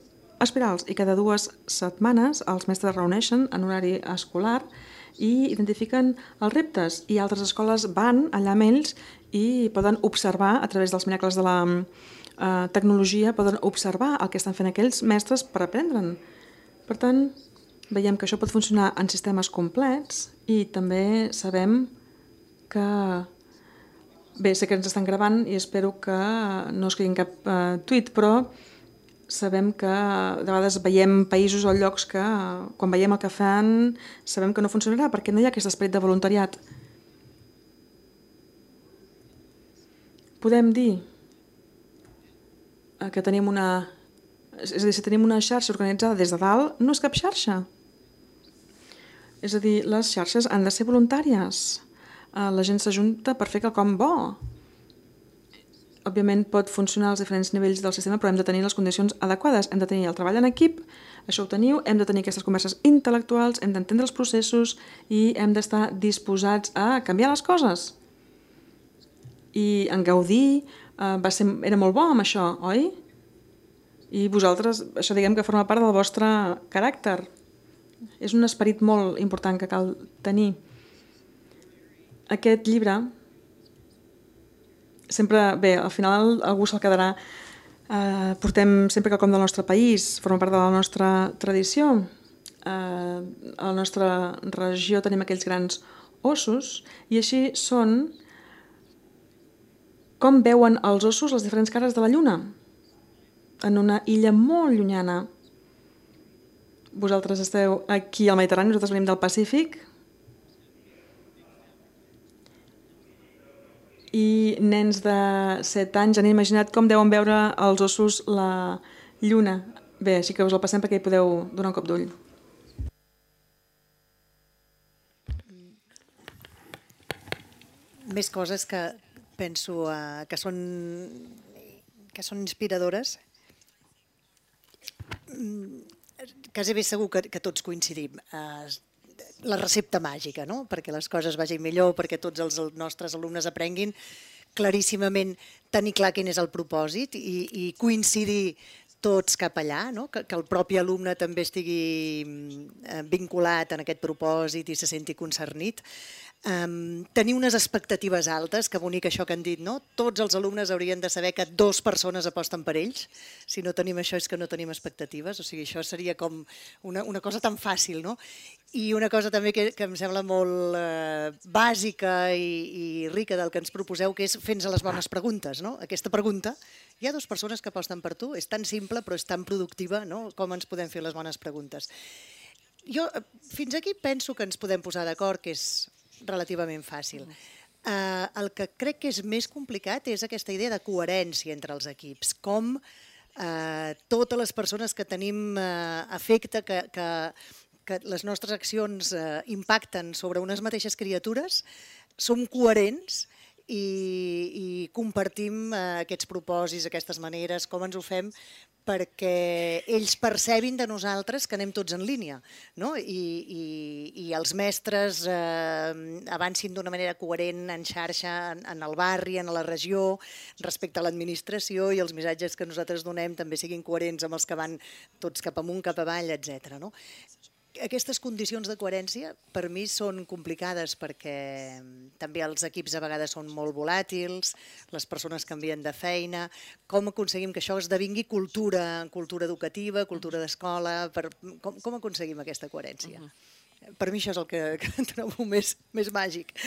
espirals. I cada 2 setmanes els mestres reuneixen en horari escolar i identifiquen els reptes. I altres escoles van allà amb ells i poden observar, a través dels miracles de la tecnologia, poden observar el que estan fent aquells mestres per aprendre'n. Per tant, veiem que això pot funcionar en sistemes complets i també sabem que... Bé, sé que ens estan gravant i espero que no es quedi en cap tuit, però sabem que de vegades veiem països o llocs que quan veiem el que fan sabem que no funcionarà perquè no hi ha aquest esperit de voluntariat. Podem dir que tenim una... És a dir, si tenim una xarxa organitzada des de dalt, no és cap xarxa. És a dir, les xarxes han de ser voluntàries. La gent s'ajunta per fer quelcom bo. Òbviament pot funcionar als diferents nivells del sistema, però hem de tenir les condicions adequades. Hem de tenir el treball en equip, això ho teniu, hem de tenir aquestes converses intel·lectuals, hem d'entendre els processos i hem d'estar disposats a canviar les coses. I en Gaudí era molt bo amb això, oi? I vosaltres, això diguem que forma part del vostre caràcter. És un esperit molt important que cal tenir. Aquest llibre, sempre, bé, al final algú se'l quedarà, portem sempre quelcom del nostre país, forma part de la nostra tradició. A la nostra regió tenim aquells grans ossos i així són com veuen els ossos les diferents cares de la lluna en una illa molt llunyana. Vosaltres esteu aquí al Mediterrani, nosaltres venim del Pacífic. I nens de 7 anys han imaginat com deuen veure els ossos la lluna. Bé, així que us el passem perquè hi podeu donar un cop d'ull.
Més coses que penso que són inspiradores. Quasi bé segur que tots coincidim. La recepta màgica, no? Perquè les coses vagin millor, perquè tots els nostres alumnes aprenguin claríssimament, tenir clar quin és el propòsit i coincidir tots cap allà, no? Que el propi alumne també estigui vinculat en aquest propòsit i se senti concernit. Tenir unes expectatives altes, que bonic això que han dit, no? Tots els alumnes haurien de saber que 2 persones aposten per ells. Si no tenim això és que no tenim expectatives, o sigui, això seria com una cosa tan fàcil, no? I una cosa també que em sembla molt bàsica i rica del que ens proposeu, que és fer-nos les bones preguntes, no? Aquesta pregunta, hi ha 2 persones que aposten per tu, és tan simple però és tan productiva, no? Com ens podem fer les bones preguntes. Jo fins aquí penso que ens podem posar d'acord, que és relativament fàcil. El que crec que és més complicat és aquesta idea de coherència entre els equips, com totes les persones que tenim afecte, que les nostres accions impacten sobre unes mateixes criatures, som coherents i compartim aquests propòsits, aquestes maneres, com ens ho fem perquè ells percebin de nosaltres que anem tots en línia, no? I els mestres avancin d'una manera coherent en xarxa, en el barri, en la regió, respecte a l'administració, i els missatges que nosaltres donem també siguin coherents amb els que van tots cap amunt, cap avall, etc. Aquestes condicions de coherència per mi són complicades perquè també els equips a vegades són molt volàtils, les persones canvien de feina. Com aconseguim que això esdevingui cultura educativa, cultura d'escola? Com aconseguim aquesta coherència? Per mi això és el que trobo més màgic.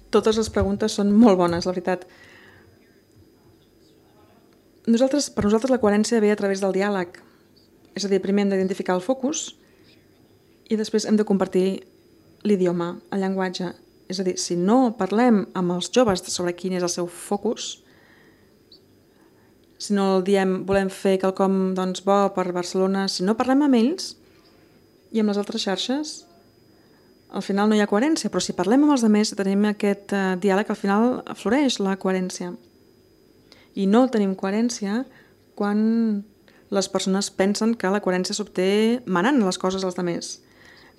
Totes les preguntes són molt bones, la veritat. Per nosaltres la coherència ve a través del diàleg. És a dir, primer hem d'identificar el focus i després hem de compartir l'idioma, el llenguatge. És a dir, si no parlem amb els joves sobre quin és el seu focus, si no diem volem fer quelcom bo per Barcelona, si no parlem amb ells i amb les altres xarxes, al final no hi ha coherència, però si parlem amb els altres, tenim aquest diàleg, al final floreix la coherència. I no tenim coherència quan les persones pensen que la coherència s'obté manant les coses als altres.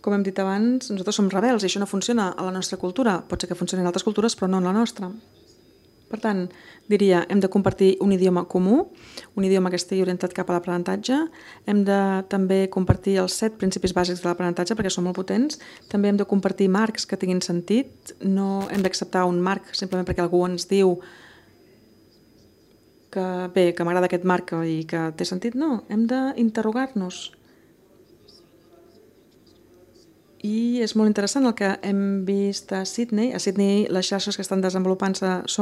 Com hem dit abans, nosaltres som rebels i això no funciona a la nostra cultura. Pot ser que funcioni en altres cultures, però no en la nostra. Per tant, diria, hem de compartir un idioma comú, un idioma que estigui orientat cap a l'aprenentatge. Hem de també compartir els 7 principis bàsics de l'aprenentatge perquè són molt potents. També hem de compartir marcs que tinguin sentit. No hem d'acceptar un marc simplement perquè algú ens diu que m'agrada aquest marc i que té sentit. No, hem d'interrogar-nos. I és molt interessant el que hem vist a Sydney. A Sydney les xarxes que estan desenvolupant-se és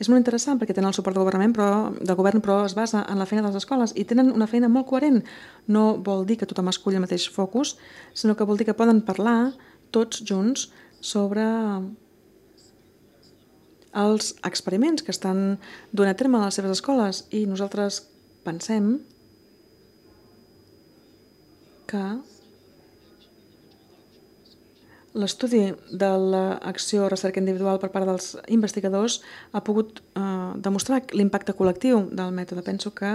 molt interessant perquè tenen el suport del govern, però es basa en la feina de les escoles i tenen una feina molt coherent. No vol dir que tothom esculli el mateix focus, sinó que vol dir que poden parlar tots junts sobre els experiments que estan duent a terme a les seves escoles i nosaltres pensem que l'estudi de l'acció recerca individual per part dels investigadors ha pogut demostrar l'impacte col·lectiu del mètode. Penso que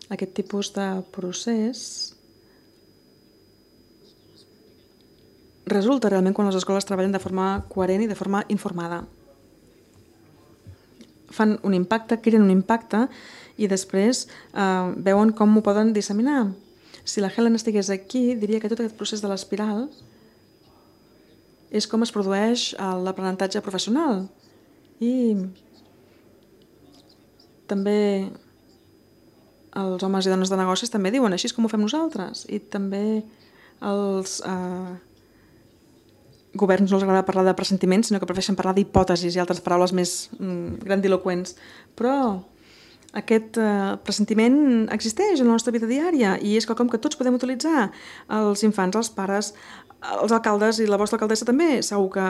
aquest tipus de procés resulta realment quan les escoles treballen de forma coherent i de forma informada. Fan un impacte, creen un impacte i després veuen com ho poden disseminar. Si la Helen estigués aquí, diria que tot aquest procés de l'espiral és com es produeix l'aprenentatge professional. I també els homes i dones de negocis també diuen així és com ho fem nosaltres, i també els governs no els agrada parlar de pressentiments, sinó que prefereixen parlar d'hipòtesis i altres paraules més grandiloquents. Però aquest pressentiment existeix en la nostra vida diària i és quelcom que tots podem utilitzar. Els infants, els pares, els alcaldes i la vostra alcaldessa també segur que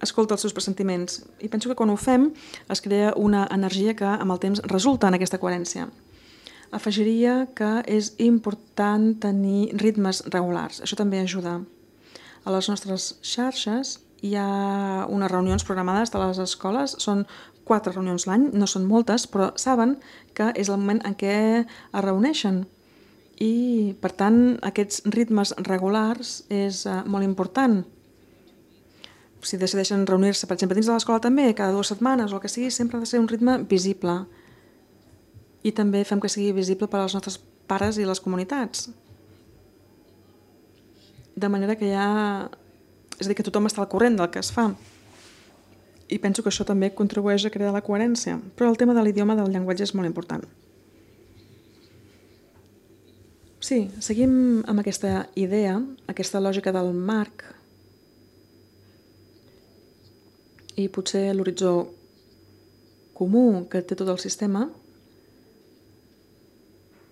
escolta els seus pressentiments. I penso que quan ho fem es crea una energia que amb el temps resulta en aquesta coherència. Afegiria que és important tenir ritmes regulars. Això també ajuda. A les nostres xarxes hi ha unes reunions programades de les escoles, són 4 reunions l'any, no són moltes, però saben que és el moment en què es reuneixen. I, per tant, aquests ritmes regulars és molt important. Si decideixen reunir-se, per exemple, dins de l'escola també, cada 2 setmanes o el que sigui, sempre ha de ser un ritme visible. I també fem que sigui visible per als nostres pares i les comunitats. De manera que és a dir, que tothom està al corrent del que es fa. I penso que això també contribueix a crear la coherència. Però el tema de l'idioma, del llenguatge, és molt important. Sí, seguim amb aquesta idea, aquesta lògica del marc, i potser l'horitzó comú que té tot el sistema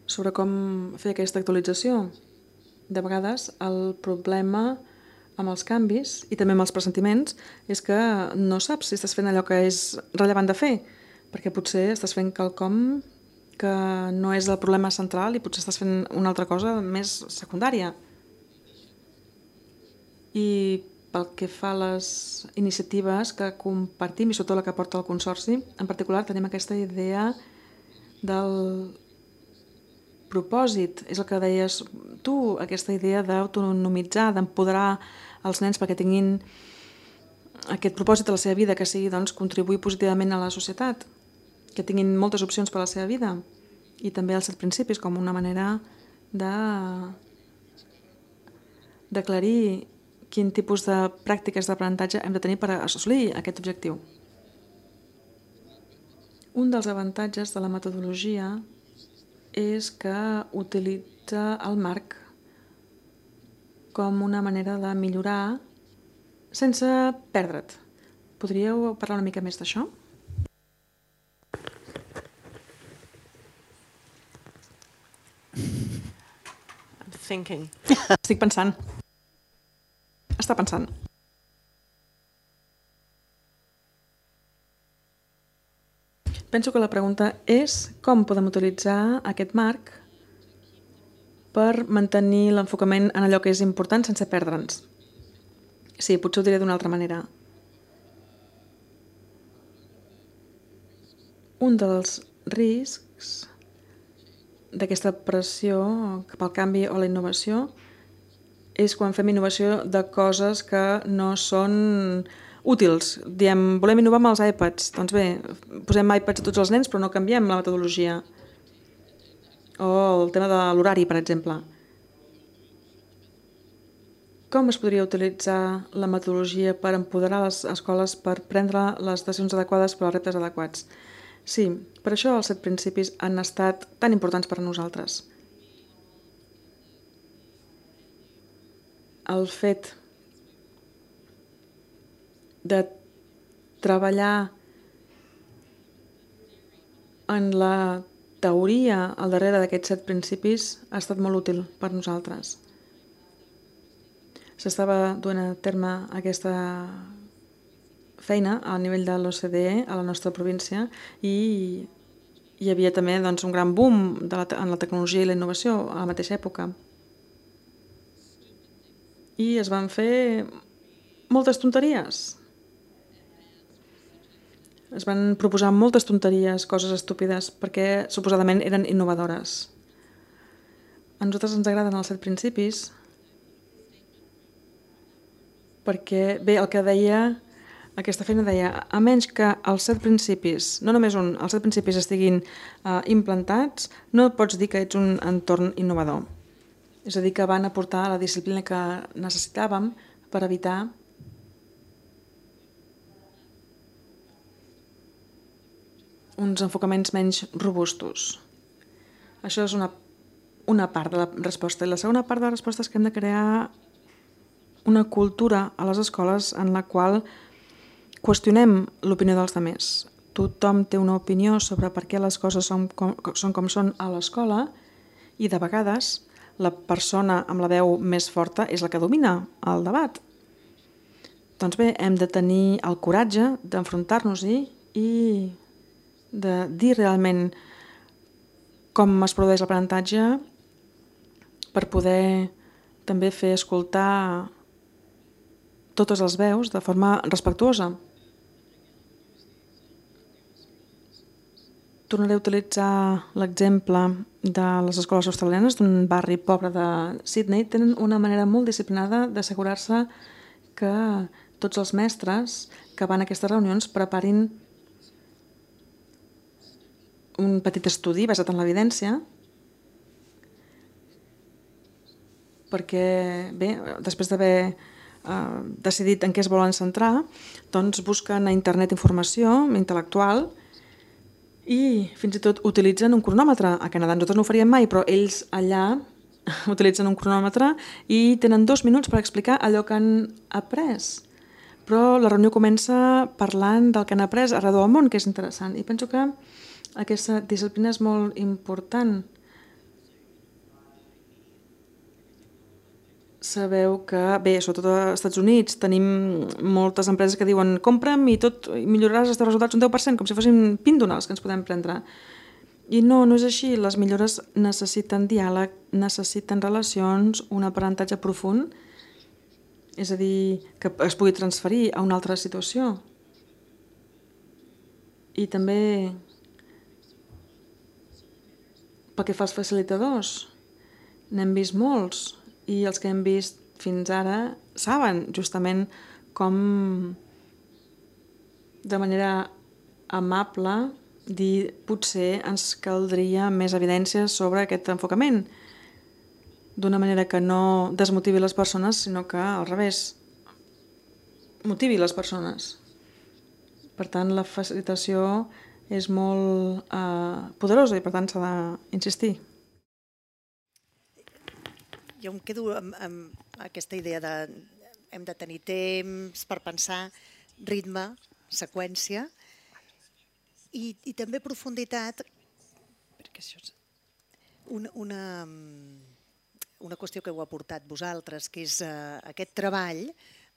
sobre com fer aquesta actualització. De vegades el problema amb els canvis i també amb els pressentiments és que no saps si estàs fent allò que és rellevant de fer, perquè potser estàs fent quelcom que no és el problema central i potser estàs fent una altra cosa més secundària. I pel que fa a les iniciatives que compartim i sobretot la que porta el Consorci, en particular tenim aquesta idea del propòsit, és el que deies tu, aquesta idea d'autonomitzar, d'empoderar els nens perquè tinguin aquest propòsit a la seva vida, que sigui contribuir positivament a la societat, que tinguin moltes opcions per a la seva vida, i també els 7 principis com una manera d'aclarir quin tipus de pràctiques d'aprenentatge hem de tenir per assolir aquest objectiu. Un dels avantatges de la metodologia és que utilitza el marc com una manera de millorar sense perdre't. Podríeu parlar una mica més d'això?
I'm thinking.
Estic pensant. Està pensant. Penso que la pregunta és com podem utilitzar aquest marc per mantenir l'enfocament en allò que és important sense perdre'ns. Sí, potser ho diré d'una altra manera. Un dels riscs d'aquesta pressió cap al canvi o la innovació és quan fem innovació de coses que no són útils. Diem, volem innovar amb els iPads. Doncs bé, posem iPads a tots els nens però no canviem la metodologia. O el tema de l'horari, per exemple. Com es podria utilitzar la metodologia per empoderar les escoles per prendre les decisions adequades per als reptes adequats? Sí, per això els 7 principis han estat tan importants per a nosaltres. El fet de treballar en la teoria al darrere d'aquests 7 principis ha estat molt útil per nosaltres. S'estava duent a terme aquesta feina a nivell de l'OCDE a la nostra província i hi havia també un gran boom en la tecnologia i la innovació a la mateixa època. I es van fer moltes tonteries. Es van proposar moltes tonteries, coses estúpides, perquè suposadament eren innovadores. A nosaltres ens agraden els 7 principis perquè, bé, el que deia, aquesta feina deia, a menys que els 7 principis, no només un, els 7 principis estiguin implantats, no pots dir que ets un entorn innovador. És a dir, que van aportar la disciplina que necessitàvem per evitar uns enfocaments menys robustos. Això és una part de la resposta. I la segona part de la resposta és que hem de crear una cultura a les escoles en la qual qüestionem l'opinió dels altres. Tothom té una opinió sobre per què les coses són com són a l'escola i de vegades la persona amb la veu més forta és la que domina el debat. Doncs bé, hem de tenir el coratge d'enfrontar-nos-hi i de dir realment com es produeix l'aprenentatge per poder també fer escoltar totes les veus de forma respectuosa. Tornaré a utilitzar l'exemple de les escoles australianes d'un barri pobre de Sydney. Tenen una manera molt disciplinada d'assegurar-se que tots els mestres que van a aquestes reunions preparin un petit estudi basat en l'evidència perquè, bé, després d'haver decidit en què es volen centrar, doncs busquen a internet informació intel·lectual i fins i tot utilitzen un cronòmetre. A Canadà nosaltres no ho faríem mai, però ells allà utilitzen un cronòmetre i tenen 2 minuts per explicar allò que han après. Però la reunió comença parlant del que han après arreu del món, que és interessant. I penso que aquesta disciplina és molt important. Sabeu que, bé, sobretot als Estats Units tenim moltes empreses que diuen compra'm i tot i milloraràs els teus resultats un 10%, com si fossin píndones que ens podem prendre. I no és així. Les millores necessiten diàleg, necessiten relacions, un aprenentatge profund, és a dir, que es pugui transferir a una altra situació. I també pel que fa als facilitadors, n'hem vist molts i els que hem vist fins ara saben justament com de manera amable dir potser ens caldria més evidència sobre aquest enfocament d'una manera que no desmotivi les persones, sinó que al revés motivi les persones. Per tant, la facilitació és molt poderosa i per tant s'ha d'insistir.
Jo em quedo amb aquesta idea de hem de tenir temps per pensar, ritme, seqüència i també profunditat, perquè això és una qüestió que heu aportat vosaltres, que és aquest treball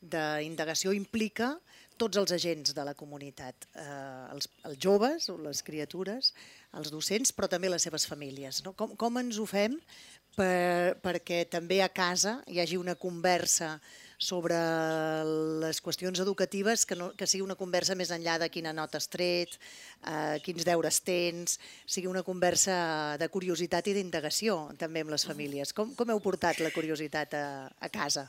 d'indagació implica tots els agents de la comunitat, els joves, les criatures, els docents, però també les seves famílies. Com ens ho fem perquè també a casa hi hagi una conversa sobre les qüestions educatives que sigui una conversa més enllà de quina nota has tret, quins deures tens, sigui una conversa de curiositat i d'indagació també amb les famílies. Com heu portat la curiositat a casa?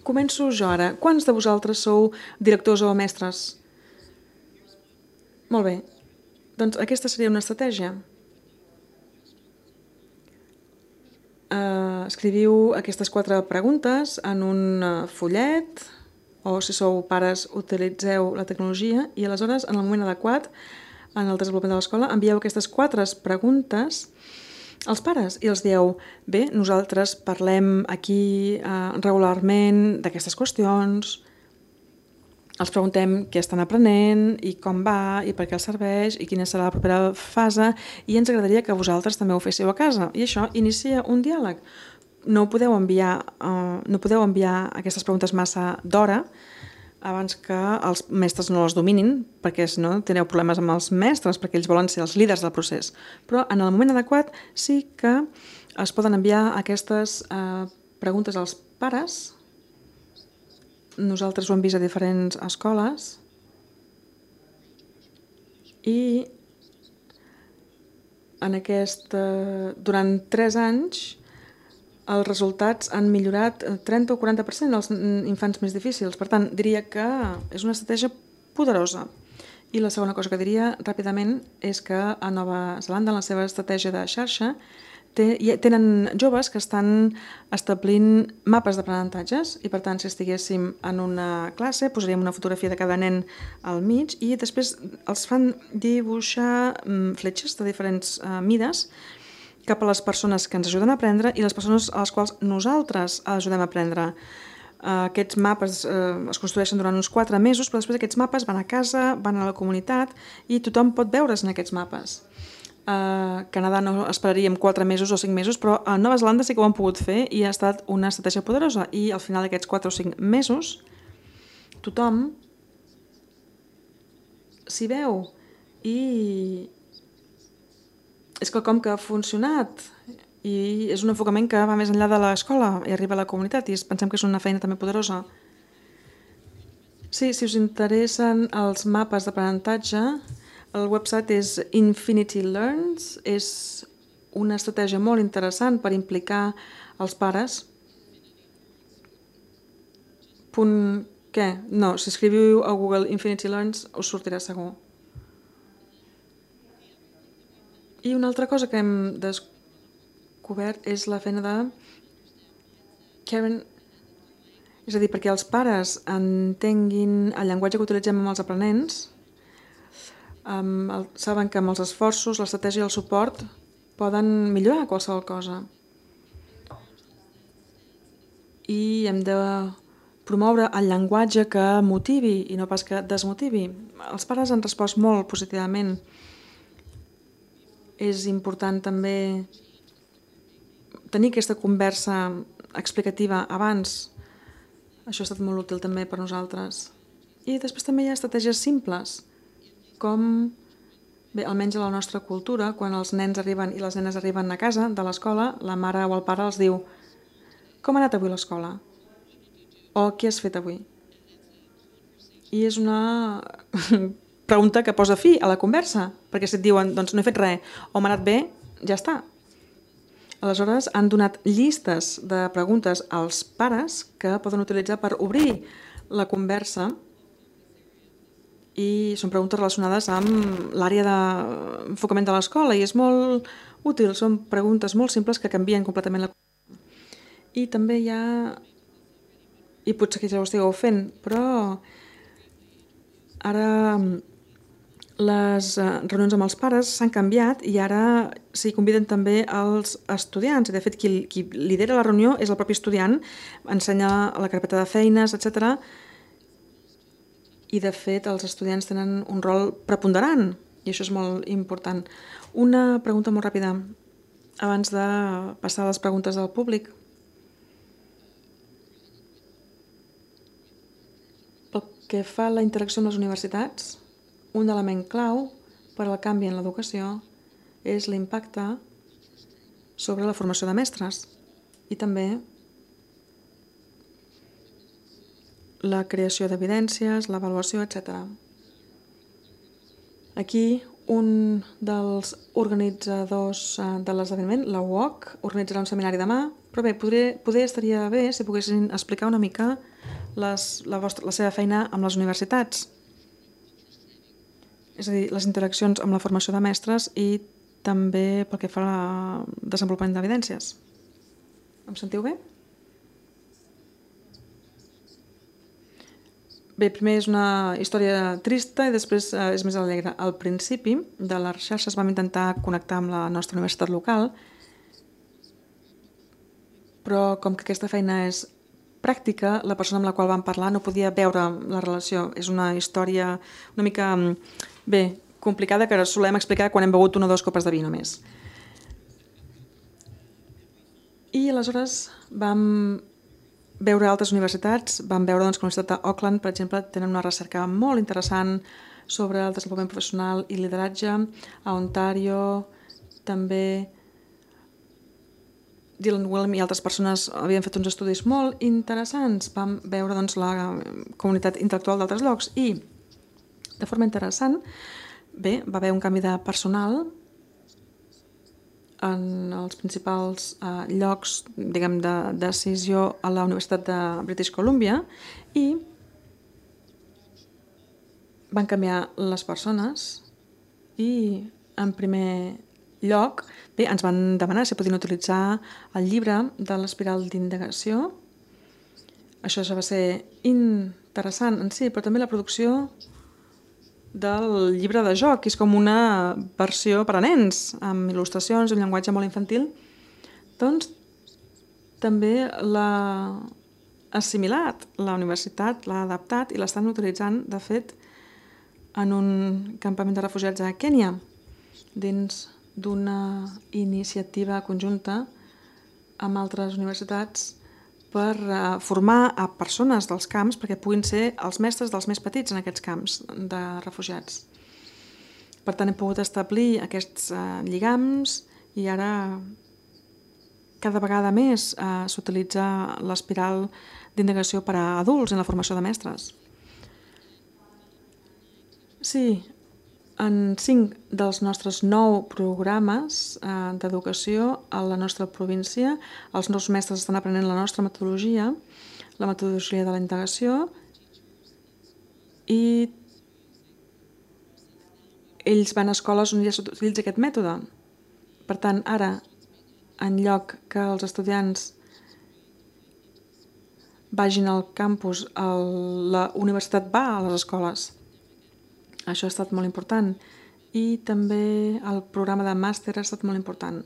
Començo jo ara. Quants de vosaltres sou directors o mestres? Molt bé. Doncs aquesta seria una estratègia. Escriviu aquestes 4 preguntes en un fullet o si sou pares utilitzeu la tecnologia i aleshores en el moment adequat en el desenvolupament de l'escola envieu aquestes 4 preguntes als pares i els dieu, bé, nosaltres parlem aquí regularment d'aquestes qüestions, els preguntem què estan aprenent i com va i per què els serveix i quina serà la propera fase i ens agradaria que vosaltres també ho féssiu a casa. I això inicia un diàleg. No podeu enviar aquestes preguntes massa d'hora abans que els mestres no les dominin, perquè si no teniu problemes amb els mestres, perquè ells volen ser els líders del procés. Però en el moment adequat sí que es poden enviar aquestes preguntes als pares. Nosaltres ho hem vist a diferents escoles i durant 3 anys els resultats han millorat 30 o 40% dels infants més difícils. Per tant, diria que és una estratègia poderosa. I la segona cosa que diria ràpidament és que a Nova Zelanda, en la seva estratègia de xarxa, tenen joves que estan establint mapes d'aprenentatges i, per tant, si estiguéssim en una classe, posaríem una fotografia de cada nen al mig i després els fan dibuixar fletxes de diferents mides cap a les persones que ens ajuden a aprendre i les persones a les quals nosaltres ajudem a aprendre. Aquests mapes es construeixen durant uns 4 mesos, però després aquests mapes van a casa, van a la comunitat i tothom pot veure's en aquests mapes. A Canadà no esperaríem 4 mesos o 5 mesos, però a Nova Zelanda sí que ho han pogut fer i ha estat una estratègia poderosa. I al final d'aquests 4 o 5 mesos tothom s'hi veu i és quelcom que ha funcionat i és un enfocament que va més enllà de l'escola i arriba a la comunitat i pensem que és una feina també poderosa. Sí, si us interessen els mapes d'aprenentatge, el website és Infinity Learns, és una estratègia molt interessant per implicar els pares. Què? No, si escriviu a Google Infinity Learns us sortirà segur. I una altra cosa que hem descobert és la feina de Karen, és a dir, perquè els pares entenguin el llenguatge que utilitzem amb els aprenents, saben que amb els esforços, l'estratègia i el suport poden millorar qualsevol cosa. I hem de promoure el llenguatge que motivi i no pas que desmotivi. Els pares han respost molt positivament. És important també tenir aquesta conversa explicativa abans. Això ha estat molt útil també per nosaltres. I després també hi ha estratègies simples, com, bé, almenys a la nostra cultura, quan els nens arriben i les nenes arriben a casa de l'escola, la mare o el pare els diu: com ha anat avui l'escola? O què has fet avui? I és una pregunta que posa fi a la conversa, perquè si et diuen, doncs no he fet res, o m'ha anat bé, ja està. Aleshores, han donat llistes de preguntes als pares que poden utilitzar per obrir la conversa i són preguntes relacionades amb l'àrea d'enfocament de l'escola i és molt útil, són preguntes molt simples que canvien completament la conversa. I també hi ha, i potser que ja ho estigueu fent, però ara les reunions amb els pares s'han canviat i ara s'hi conviden també els estudiants. I de fet, qui lidera la reunió és el propi estudiant, ensenya la carpeta de feines, etc. I de fet, els estudiants tenen un rol preponderant i això és molt important. Una pregunta molt ràpida abans de passar a les preguntes del públic. Pel que fa a la interacció amb les universitats, un element clau per al canvi en l'educació és l'impacte sobre la formació de mestres i també la creació d'evidències, l'avaluació, etc. Aquí un dels organitzadors de l'esdeveniment, la UOC, organitzarà un seminari demà, però bé, poder estaria bé si poguessin explicar una mica la seva feina amb les universitats. És a dir, les interaccions amb la formació de mestres i també pel que fa al desenvolupament d'evidències. Em sentiu bé? Bé, primer és una història trista i després és més alegre. Al principi de les xarxes vam intentar connectar amb la nostra universitat local, però com que aquesta feina és pràctica, la persona amb la qual vam parlar no podia veure la relació. És una història una mica complicada que solem explicar quan hem begut 1 o 2 copes de vi només. I aleshores vam veure altres universitats, vam veure que la Universitat d'Auckland, per exemple, tenen una recerca molt interessant sobre el desenvolupament professional i lideratge. A Ontario també Dylan Willem i altres persones havien fet uns estudis molt interessants. Vam veure la comunitat intel·lectual d'altres llocs i, de forma interessant, va haver un canvi de personal en els principals llocs de decisió a la Universitat de British Columbia i van canviar les persones i en primer lloc, bé, ens van demanar si podien utilitzar el llibre de l'espiral d'indagació. Això ja va ser interessant en si, però també la producció del llibre de joc, que és com una versió per a nens, amb il·lustracions, un llenguatge molt infantil. Doncs també l'ha assimilat la universitat, l'ha adaptat i l'estan utilitzant, de fet, en un campament de refugiats a Kènia, dins d'una iniciativa conjunta amb altres universitats per formar a persones dels camps perquè puguin ser els mestres dels més petits en aquests camps de refugiats. Per tant, hem pogut establir aquests lligams i ara cada vegada més s'utilitza l'espiral d'indagació per a adults en la formació de mestres. Sí, en 5 dels nostres 9 programes d'educació a la nostra província, els nous mestres estan aprenent la nostra metodologia, la metodologia de la indagació, i ells van a escoles on ja s'utilitza aquest mètode. Per tant, ara, en lloc que els estudiants vagin al campus, la universitat va a les escoles. Això ha estat molt important. I també el programa de màster ha estat molt important.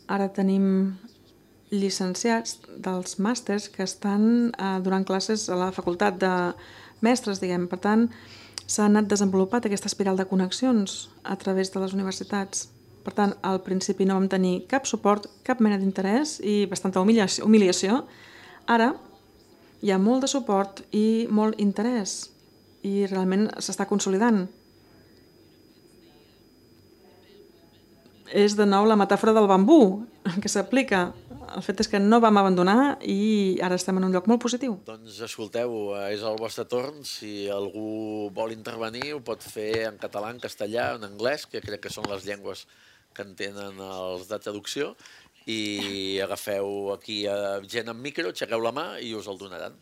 Ara tenim llicenciats dels màsters que estan donant classes a la facultat de mestres, diguem. Per tant, s'ha anat desenvolupat aquesta espiral de connexions a través de les universitats. Per tant, al principi no vam tenir cap suport, cap mena d'interès i bastanta humiliació. Ara hi ha molt de suport i molt interès i realment s'està consolidant. És de nou la metàfora del bambú que s'aplica. El fet és que no vam abandonar i ara estem en un lloc molt positiu.
Doncs escolteu, és el vostre torn. Si algú vol intervenir, ho pot fer en català, en castellà, en anglès, que crec que són les llengües que entenen els de traducció, i agafeu aquí gent amb micro, aixequeu la mà i us el donaran.